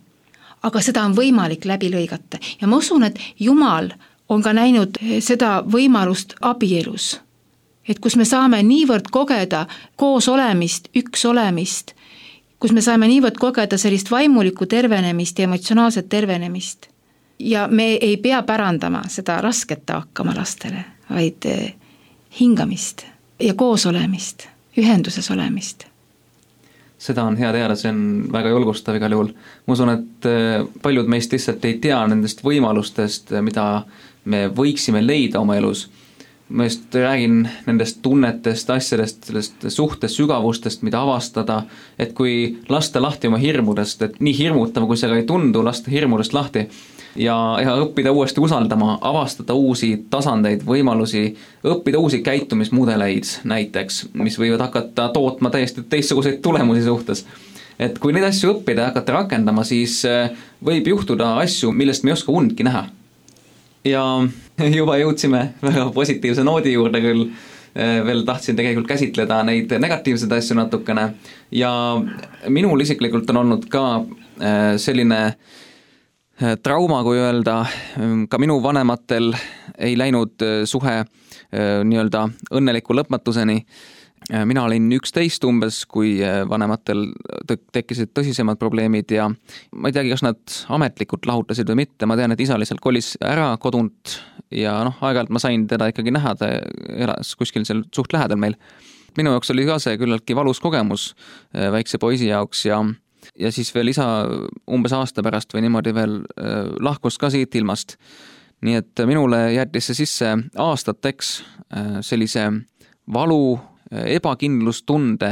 Speaker 2: Aga seda on võimalik läbi lõigata ja ma usun, et Jumal on ka näinud seda võimalust abielus. Et kus me saame niivõrd kogeda koos olemist, üks olemist, kus me saame niivõrd kogeda sellist vaimulikku tervenemist ja emotsionaalset tervenemist. Ja me ei pea pärandama seda rasket taakama lastele, vaid hingamist ja koos olemist, ühenduses olemist.
Speaker 1: Seda on hea teada, see on väga julgustav igal juhul. Ma usun, et paljud meist lihtsalt ei tea nendest võimalustest, mida me võiksime leida oma elus. ma just räägin nendest tunnetest, asjadest, sellest suhtest, sügavustest, mida avastada, et kui lasta lahti oma hirmudest, et nii hirmutav, kui see ka ei tundu, lasta hirmudest lahti ja, ja õppida uuesti usaldama, avastada uusi tasandeid, võimalusi, õppida uusi käitumismudeleid näiteks, mis võivad hakata tootma täiesti teistsuguseid tulemusi suhtes. Et kui neid asju õppida ja hakata rakendama, siis võib juhtuda asju, millest me ei oska undki näha. Ja juba jõudsime väga positiivse noodi juurde küll, veel tahtsin tegelikult käsitleda neid negatiivseid asju natukene ja minul isiklikult on olnud ka selline trauma, kui öelda, ka minu vanematel ei läinud suhe nii-öelda õnneliku lõpmatuseni. Mina olin üksteist umbes, kui vanematel tekkisid tõsisemad probleemid ja ma ei teagi, kas nad ametlikult lahutasid või mitte, ma tean, et isa lihtsalt kolis ära kodunt ja noh, aeg-ajalt ma sain teda ikkagi näha, ta elas kuskil seal suht lähedal meil. Minu jaoks oli ka see küllaltki valus kogemus väikse poisi jaoks ja, ja siis veel isa umbes aasta pärast või niimoodi veel lahkus ka siit ilmast. Nii et minule jättis see sisse aastateks sellise valu, ebakindlustunde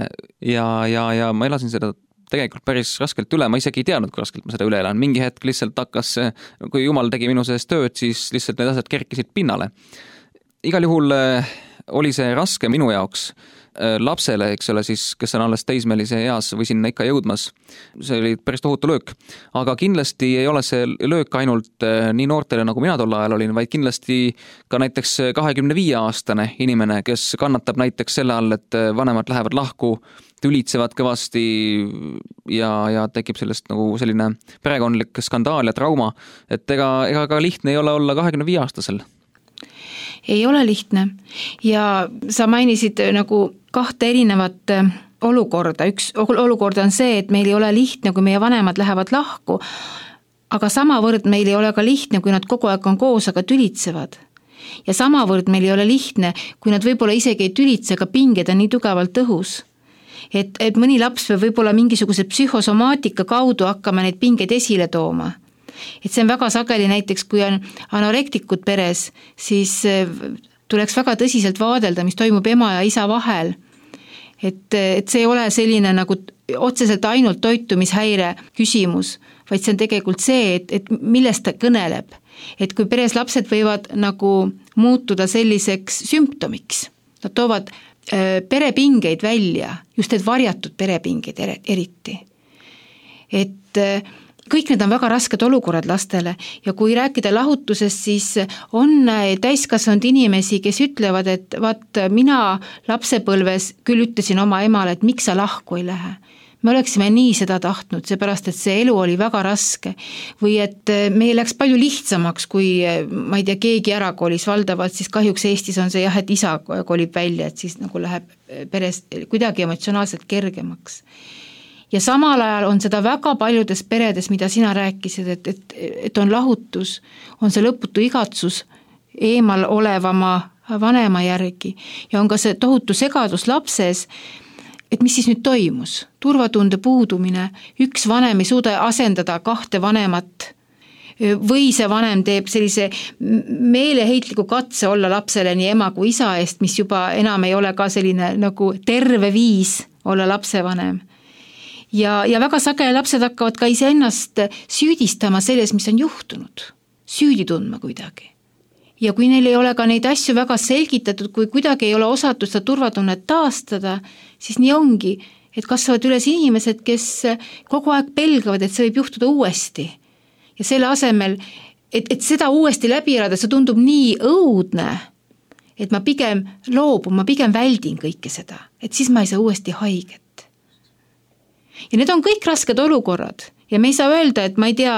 Speaker 1: ja, ja, ja ma elasin seda tegelikult päris raskelt üle, ma isegi ei teadnud, kui raskelt ma seda üle elan. Mingi hetk lihtsalt hakkas, kui Jumal tegi minu sees tööd, siis lihtsalt need asjad kerkisid pinnale. Igal juhul oli see raske minu jaoks lapsele, eks ole, siis, kes on alles teismelise eas või sinna ikka jõudmas. See oli päris tohutu löök. Aga kindlasti ei ole see löök ainult nii noortele, nagu mina tol ajal olin, vaid kindlasti ka näiteks kahekümne viie aastane inimene, kes kannatab näiteks selle all, et vanemad lähevad lahku, tülitsevad kõvasti ja, ja tekib sellest nagu selline perekondlik skandaal ja trauma, et ega, ega ka lihtne ei ole olla kahekümne viie aastasel.
Speaker 2: Ei ole lihtne ja sa mainisid nagu kahte erinevat olukorda. Üks olukord on see, et meil ei ole lihtne, kui meie vanemad lähevad lahku, aga samavõrd meil ei ole ka lihtne, kui nad kogu aeg on koos, aga tülitsevad. Ja samavõrd meil ei ole lihtne, kui nad võib-olla isegi ei tülitse, aga pinged on nii tugevalt õhus. Et, et mõni laps võib võib-olla mingisuguse psühhosomaatika kaudu hakkama neid pingeid esile tooma. Et see on väga sageli näiteks, kui on anorektikud peres, siis tuleks väga tõsiselt vaadelda, mis toimub ema ja isa vahel. Et, et see ei ole selline nagu otseselt ainult toitumishäire küsimus, vaid see on tegelikult see, et, et millest ta kõneleb. Et kui peres lapsed võivad nagu muutuda selliseks sümptomiks, nad toovad perepingeid välja, just need varjatud perepingeid eriti. Et kõik need on väga rasked olukorrad lastele ja kui rääkida lahutusest, siis on täiskasvanud inimesi, kes ütlevad, et vaat mina lapsepõlves küll ütlesin oma emale, et miks sa lahku ei lähe. Me oleksime nii seda tahtnud, seepärast, et see elu oli väga raske või et meil läks palju lihtsamaks, kui ma ei tea, keegi ära kolis valdavalt, siis kahjuks Eestis on see jah, et isa kolib välja, et siis nagu läheb peres kuidagi emotsionaalselt kergemaks. Ja samal ajal on seda väga paljudes peredes, mida sina rääkisid, et, et, et on lahutus, on see lõputu igatsus eemal olevama vanema järgi ja on ka see tohutu segadus lapses, et mis siis nüüd toimus? Turvatunde puudumine, üks vanem ei suuda asendada kahte vanemat või see vanem teeb sellise meeleheitliku katse olla lapsele nii ema kui isa eest, mis juba enam ei ole ka selline nagu terve viis olla lapsevanem. Ja, ja väga sageli lapsed hakkavad ka iseennast süüdistama selles, mis on juhtunud, süüdi tundma kuidagi. Ja kui neil ei ole ka neid asju väga selgitatud, kui kuidagi ei ole osatud seda turvatunnet taastada, siis nii ongi, et kasvavad üles inimesed, kes kogu aeg pelgavad, et see võib juhtuda uuesti. Ja selle asemel, et, et seda uuesti läbi elada, see tundub nii õudne, et ma pigem loobun, ma pigem väldin kõike seda, et siis ma ei saa uuesti haiget. Ja need on kõik rasked olukorrad ja me ei saa öelda, et ma ei tea,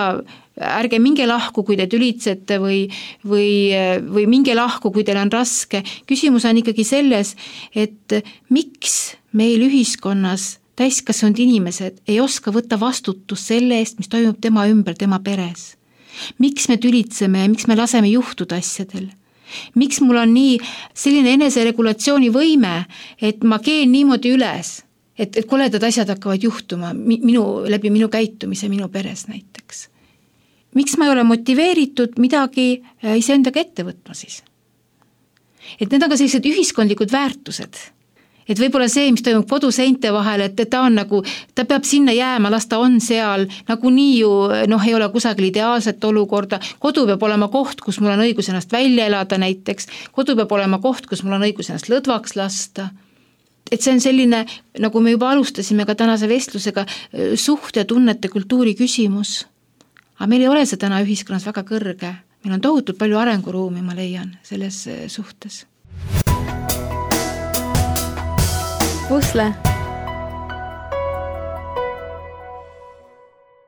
Speaker 2: ärge minge lahku, kui te tülitsete või, või, või minge lahku, kui teil on raske. Küsimus on ikkagi selles, et miks meil ühiskonnas täiskasvanud inimesed ei oska võtta vastutus selle eest, mis toimub tema ümber, tema peres. Miks me tülitseme ja miks me laseme juhtuda asjadel? Miks mul on nii selline eneseregulatsiooni võime, et ma keen niimoodi üles? Et, et koledad asjad hakkavad juhtuma minu, läbi minu käitumise minu peres näiteks. Miks ma ei ole motiveeritud midagi iseendaga ette võtma siis? et need on ka sellised ühiskondlikud väärtused. Et võib-olla see, mis toimub koduseinte vahel, et ta on nagu, ta peab sinna jääma, las ta on seal, nagu nii ju noh, ei ole kusagil ideaalset olukorda, kodu peab olema koht, kus mul on õigus ennast välja elada näiteks, kodu peab olema koht, kus mul on õigus ennast lõdvaks lasta. Et see on selline, nagu me juba alustasime ka tänase vestlusega, suht- ja tunnete kultuuri küsimus. Aga meil ei ole see täna ühiskonnas väga kõrge. Meil on tohutult palju arenguruumi, ma leian, selles suhtes.
Speaker 4: Pusle.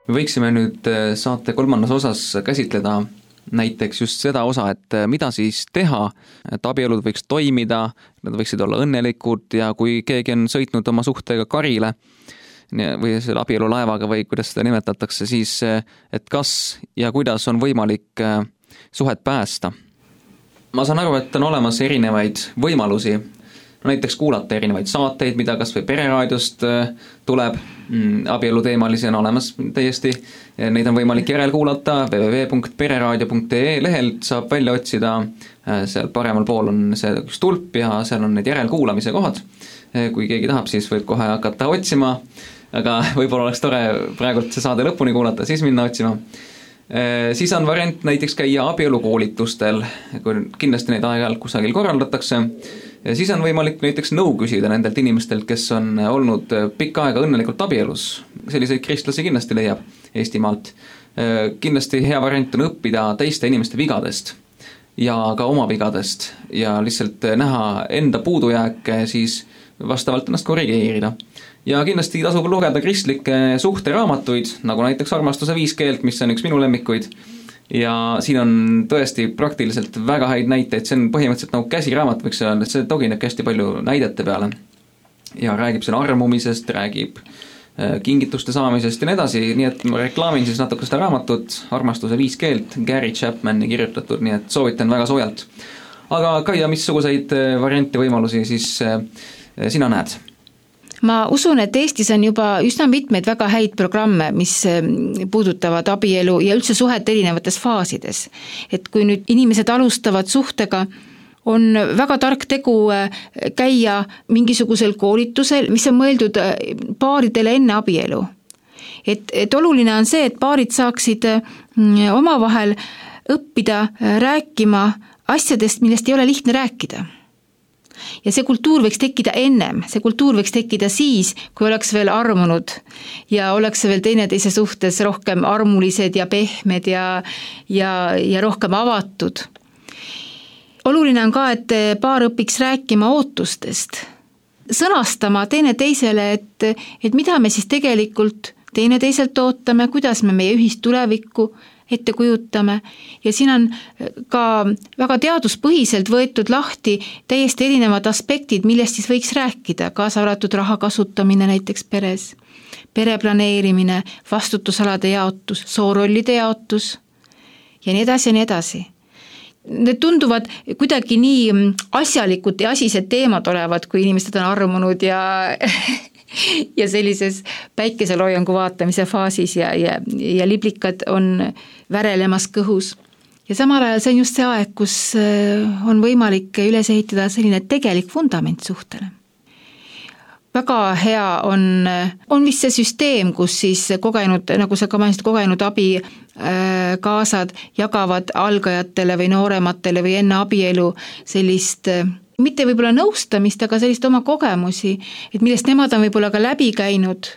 Speaker 1: Me võiksime nüüd saate kolmandas osas käsitleda näiteks just seda osa, et mida siis teha, et abielud võiks toimida, nad võiksid olla õnnelikud ja kui keegi on sõitnud oma suhtega karile või selle abielulaevaga või kuidas seda nimetatakse, siis et kas ja kuidas on võimalik suhet päästa. Ma saan aru, et on olemas erinevaid võimalusi, näiteks kuulata erinevaid saateid, mida kas või pereraadiost tuleb, abielu teemalisi on olemas täiesti, neid on võimalik järel kuulata, w w w punkt pereraadio punkt e lehelt saab välja otsida, seal paremal pool on see üks tulp ja seal on need järelkuulamise kohad, kui keegi tahab, siis võib kohe hakata otsima, aga võib-olla oleks tore praegult see saade lõpuni kuulata, siis minna otsima. Siis on variant näiteks käia abielukoolitustel, kui kindlasti neid aeg-ajalt kusagil korraldatakse, ja siis on võimalik näiteks nõu küsida nendelt inimestelt, kes on olnud pikka aega õnnelikult abielus. Selliseid kristlasi kindlasti leiab Eestimaalt. Kindlasti hea variant on õppida teiste inimeste vigadest ja ka oma vigadest ja lihtsalt näha enda puudujääke, siis vastavalt ennast korrigeerida. Ja kindlasti tasub lugeda kristlikke suhteraamatuid, nagu näiteks Armastuse viis keelt, mis on üks minu lemmikuid. Ja siin on tõesti praktiliselt väga häid näiteid, see on põhimõtteliselt nagu käsiraamat, võiks öelda, et see togineb hästi palju näidete peale. Ja räägib selle armumisest, räägib kingituste saamisest ja nii edasi, nii et ma reklaamin siis natuke seda raamatut, Armastuse viis keelt, Gary Chapmani kirjutatud, nii et soovitan väga soojalt. Aga Kaia, missuguseid variante võimalusi siis sina näed?
Speaker 2: Ma usun, et Eestis on juba üsna mitmeid väga häid programme, mis puudutavad abielu ja üldse suhet erinevates faasides. Et kui nüüd inimesed alustavad suhtega, on väga tark tegu käia mingisugusel koolitusel, mis on mõeldud paaridele enne abielu. Et, et oluline on see, et paarid saaksid omavahel õppida rääkima asjadest, millest ei ole lihtne rääkida. Ja see kultuur võiks tekkida ennem, see kultuur võiks tekkida siis, kui oleks veel armunud ja oleks veel teineteise suhtes rohkem armulised ja pehmed ja, ja, ja rohkem avatud. Oluline on ka, et paar õpiks rääkima ootustest, sõnastama teineteisele, et, et mida me siis tegelikult teineteiselt ootame, kuidas me meie ühist tulevikku ette kujutame ja siin on ka väga teaduspõhiselt võetud lahti täiesti erinevad aspektid, millest siis võiks rääkida, kaasa arvatud raha kasutamine näiteks peres, pereplaneerimine, vastutusalade jaotus, soorollide jaotus ja nii edasi ja nii edasi. Need tunduvad kuidagi nii asjalikud ja asised teemad olevat, kui inimesed on armunud ja ja sellises päikeseloojangu vaatamise faasis ja, ja, ja liblikad on värelemas kõhus. Ja samal ajal see on just see aeg, kus on võimalik üles ehitada selline tegelik fundament suhtele. Väga hea on, on vist see süsteem, kus siis kogenud, nagu sa ka mainisid, kogenud abi kaasad jagavad algajatele või noorematele või enne abielu sellist mitte võib-olla nõustamist, aga sellist oma kogemusi, et millest nemad on võib-olla ka läbi käinud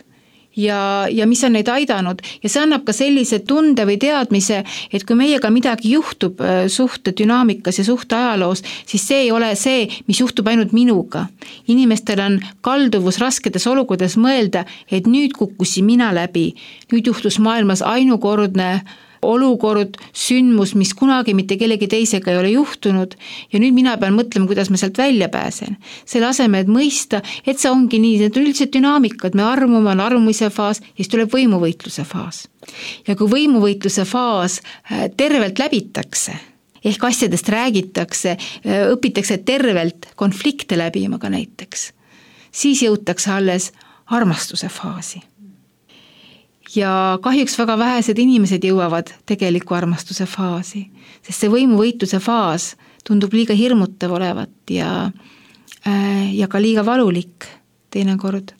Speaker 2: ja, ja mis on neid aidanud. Ja see annab ka sellise tunde või teadmise, et kui meiega midagi juhtub suhte dünaamikas ja suhte ajaloos, siis see ei ole see, mis juhtub ainult minuga. Inimestel on kalduvus rasketes olukordades mõelda, et nüüd kukkusin mina läbi, nüüd juhtus maailmas ainukordne olukord, sündmus, mis kunagi mitte kellegi teisega ei ole juhtunud ja nüüd mina pean mõtlema, kuidas ma sealt välja pääsen. Selle asemel, et mõista, et see ongi nii, need on üldse dünaamikad, me armume, on armumise faas ja siis tuleb võimuvõitluse faas. Ja kui võimuvõitluse faas tervelt läbitakse, ehk asjadest räägitakse, õpitakse tervelt konflikte läbima ka näiteks, siis jõutakse alles armastuse faasi. Ja kahjuks väga vähesed inimesed jõuavad tegeliku armastuse faasi, sest see võimuvõitluse faas tundub liiga hirmutav olevat ja, ja ka liiga valulik teinekord.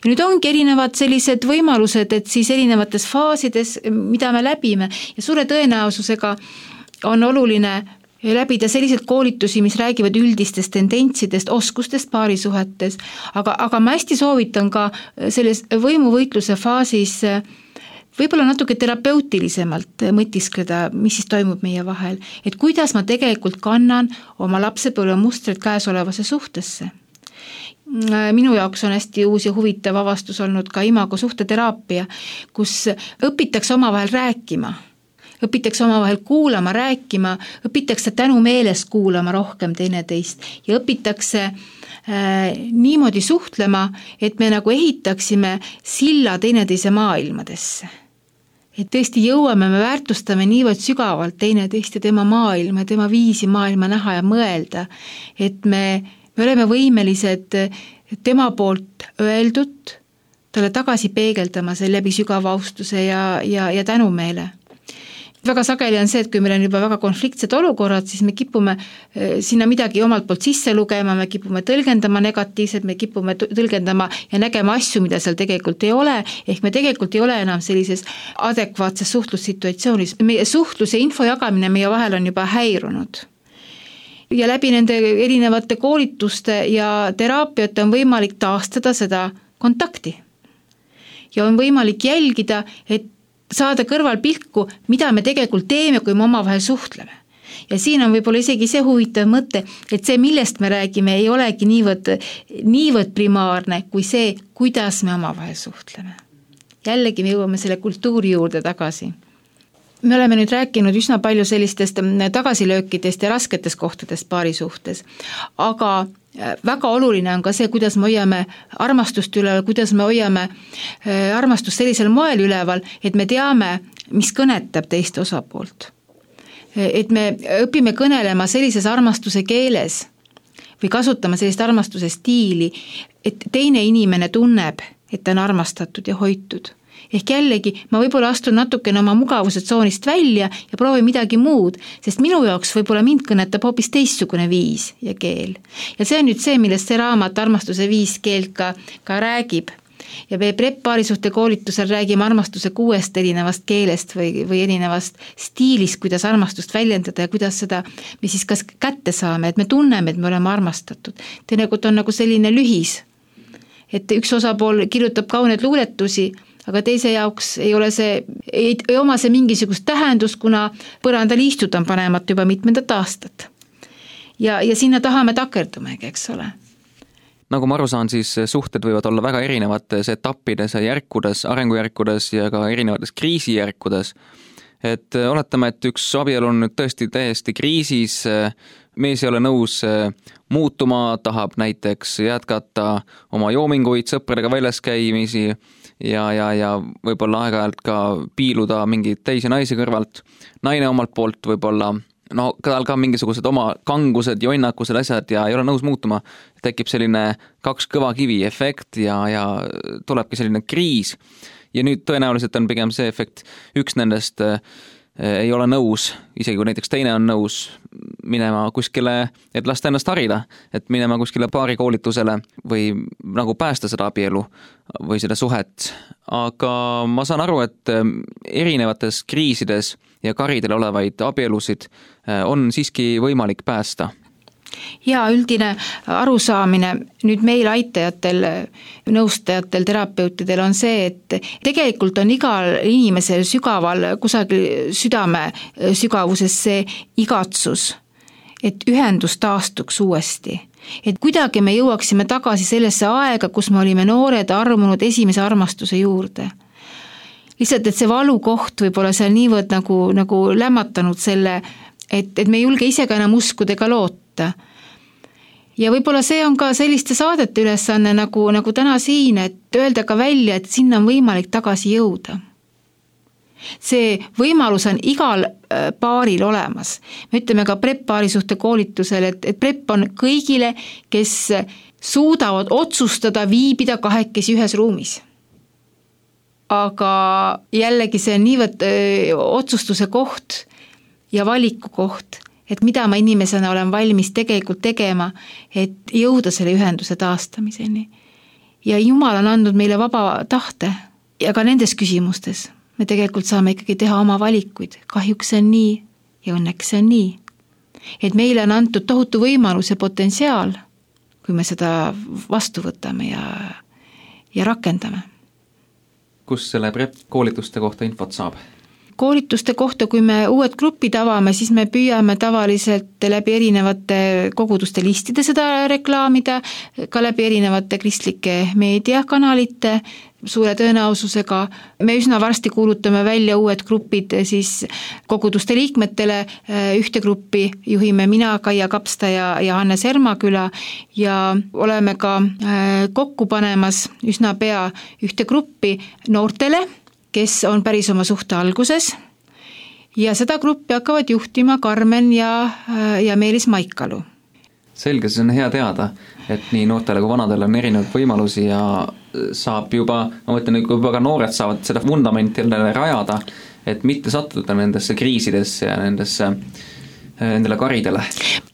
Speaker 2: Ja nüüd ongi erinevad sellised võimalused, et siis erinevates faasides, mida me läbime ja suure tõenäosusega on oluline läbida sellised koolitusi, mis räägivad üldistest tendentsidest, oskustest paarisuhetes, aga, aga ma hästi soovitan ka selles võimuvõitluse faasis võib-olla natuke terapeutilisemalt mõtiskleda, mis siis toimub meie vahel, et kuidas ma tegelikult kannan oma lapsepõlve mustreid käesolevasse suhtesse. Minu jaoks on hästi uus ja huvitav avastus olnud ka imago suhteteraapia, kus õpitakse omavahel rääkima, õpitakse omavahel kuulama, rääkima, õpitakse tänu meelest kuulama rohkem teineteist ja õpitakse äh, niimoodi suhtlema, et me nagu ehitaksime silla teineteise maailmadesse. Et tõesti jõuame, me väärtustame niivõrd sügavalt teineteist ja tema maailma, tema viisi maailma näha ja mõelda, et me, me oleme võimelised tema poolt öeldud, talle tagasi peegeldama see läbi sügava austuse ja, ja, ja tänumeele. Väga sageli on see, et kui meil on juba väga konfliktsed olukorrad, siis me kipume sinna midagi omalt poolt sisse lugema, me kipume tõlgendama negatiivselt, me kipume tõlgendama ja nägema asju, mida seal tegelikult ei ole, ehk me tegelikult ei ole enam sellises adekvaatses suhtlussituatsioonis. Meie suhtlus ja info jagamine meie vahel on juba häirunud. Ja läbi nende erinevate koolituste ja teraapiate on võimalik taastada seda kontakti. Ja on võimalik jälgida, et saada kõrval pilku, mida me tegelikult teeme, kui me omavahel suhtleme. Ja siin on võib-olla isegi see huvitav mõte, et see, millest me räägime, ei olegi niivõrd, niivõrd primaarne kui see, kuidas me omavahel suhtleme. Jällegi me jõuame selle kultuuri juurde tagasi. Me oleme nüüd rääkinud üsna palju sellistest tagasilöökidest ja rasketest kohtadest paari suhtes, aga väga oluline on ka see, kuidas me hoiame armastust üleval, kuidas me hoiame armastust sellisel moel üleval, et me teame, mis kõnetab teist osapoolt. Et me õpime kõnelema sellises armastuse keeles või kasutama sellist armastuse stiili, et teine inimene tunneb, et ta on armastatud ja hoitud. Ehk jällegi, ma võib-olla astun natukene oma mugavuse tsoonist välja ja proovin midagi muud, sest minu jaoks võib-olla mind kõnetab hoopis teistsugune viis ja keel. Ja see on nüüd see, millest see raamat armastuse viis keelt ka, ka räägib. Ja me P R E P paarisuhte koolitusel räägime armastuse kuuest erinevast keelest või, või erinevast stiilist, kuidas armastust väljendada ja kuidas seda me siis kas kätte saame, et me tunneme, et me oleme armastatud. Teinekord on nagu selline lühis, et üks osapool kirjutab kauneid luuletusi, aga teise jaoks ei ole see, ei, ei oma see mingisugust tähendust, kuna põrandal istud on panemat juba mitmendat aastat. Ja, ja sinna tahame takerdumegi, eks ole.
Speaker 1: Nagu ma aru saan, siis suhted võivad olla väga erinevates etappides ja järkudes, arengujärkudes ja ka erinevates kriisijärkudes. Et oletame, et üks abielu on nüüd tõesti täiesti kriisis, mees ei ole nõus muutuma, tahab näiteks jätkata oma joominguid, sõpradega väljas käimisi ja, ja, ja võib-olla aeg-ajalt ka piiluda mingeid teisi naisi kõrvalt. Naine omalt poolt võib-olla, no tal ka mingisugused oma kangused, jonnakused asjad ja ei ole nõus muutuma. Tekib selline kaks kõva kivi efekt ja, ja tulebki selline kriis. Ja nüüd tõenäoliselt on pigem see efekt, üks nendest ei ole nõus, isegi kui näiteks teine on nõus minema kuskile, et lasta ennast harida, et minema kuskile paarikoolitusele või nagu päästa seda abielu või seda suhet. Aga ma saan aru, et erinevates kriisides ja karidel olevaid abielusid on siiski võimalik päästa.
Speaker 2: Ja üldine arusaamine nüüd meil aitajatel, nõustajatel, terapeutidel on see, et tegelikult on igal inimesel sügaval kusagil südame sügavuses see igatsus, et ühendus taastuks uuesti. Et kuidagi me jõuaksime tagasi sellesse aega, kus me olime noored, armunud esimese armastuse juurde. Lihtsalt, et see valukoht võib olla seal niivõrd nagu, nagu lämmatanud selle, et, et me ei julge ise ka enam uskuda ega loota. Ja võib-olla see on ka selliste saadete ülesanne nagu, nagu täna siin, et öelda ka välja, et sinna on võimalik tagasi jõuda. See võimalus on igal paaril olemas. Me ütleme ka P R E P paarisuhte koolitusel, et, et P R E P on kõigile, kes suudavad otsustada viibida kahekesi ühes ruumis. Aga jällegi see on niivõrd öö, otsustuse koht ja valiku koht, et mida ma inimesena olen valmis tegelikult tegema, et jõuda selle ühenduse taastamiseni. Ja Jumal on andnud meile vaba tahte ja ka nendes küsimustes me tegelikult saame ikkagi teha oma valikuid. Kahjuks see on nii ja õnneks see on nii. Et meile on antud tohutu võimalus ja potentsiaal, kui me seda vastu võtame ja, ja rakendame.
Speaker 1: Kus selle prep koolituste kohta infot saab?
Speaker 2: Koolituste kohta, kui me uued grupid avame, siis me püüame tavaliselt läbi erinevate koguduste listide seda reklaamida, ka läbi erinevate kristlike meediakanalite suure tõenäosusega. Me üsna varsti kuulutame välja uued grupid siis koguduste liikmetele. Ühte gruppi juhime mina, Kaia Kapsta ja, ja Hannes Ermaküla ja oleme ka kokku panemas üsna pea ühte gruppi noortele, kes on päris oma suhte alguses ja seda gruppi hakkavad juhtima Karmen ja, ja Meelis Maikalu.
Speaker 1: Selge, see on hea teada, et nii noortele kui vanadele on erinevaid võimalusi ja saab juba, ma mõtlen, kui juba ka noored saavad seda vundamenti rajada, et mitte sattuda nendesse kriisidesse ja nendesse nendele karidele.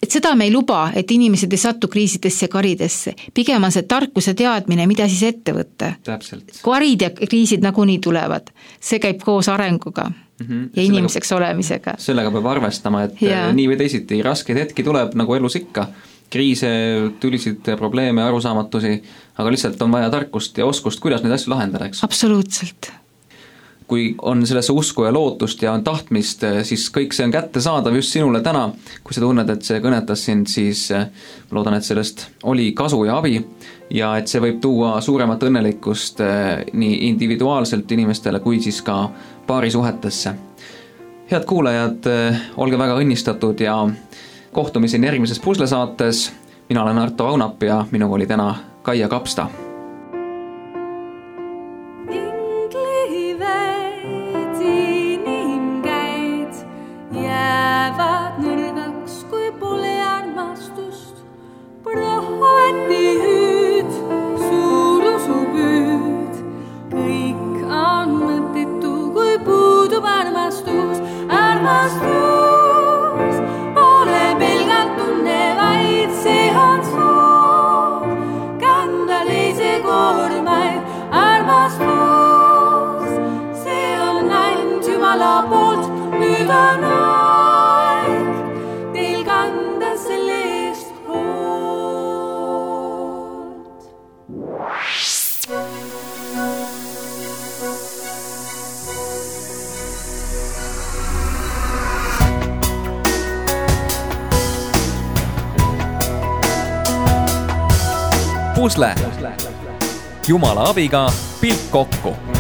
Speaker 2: Et seda me ei luba, et inimesed ei sattu kriisidesse ja karidesse. Pigem on see tarkuse teadmine, mida siis ette võtta.
Speaker 1: Täpselt.
Speaker 2: Karid ja kriisid nagunii tulevad. See käib koos arenguga mm-hmm. ja sellega, inimeseks olemisega.
Speaker 1: Sellega peab arvestama, et ja. nii või teisiti raskeid hetki tuleb nagu elus ikka. Kriise, tülisid, probleeme, arusaamatusi, aga lihtsalt on vaja tarkust ja oskust, kuidas neid asju lahendada, eks?
Speaker 2: Absoluutselt.
Speaker 1: Kui on sellesse usku ja lootust ja on tahtmist, siis kõik see on kätte saadav just sinule täna. Kui sa tunned, et see kõnetas sind, siis loodan, et sellest oli kasu ja abi ja et see võib tuua suuremat õnnelikkust nii individuaalselt inimestele kui siis ka paarisuhetesse. Head kuulajad, olge väga õnnistatud ja kohtumiseni järgmises Pusle-saates. Mina olen Arto Aunap ja minuga oli täna Kaia Kapsta.
Speaker 5: Pusle. Jumala abiga pilk kokku.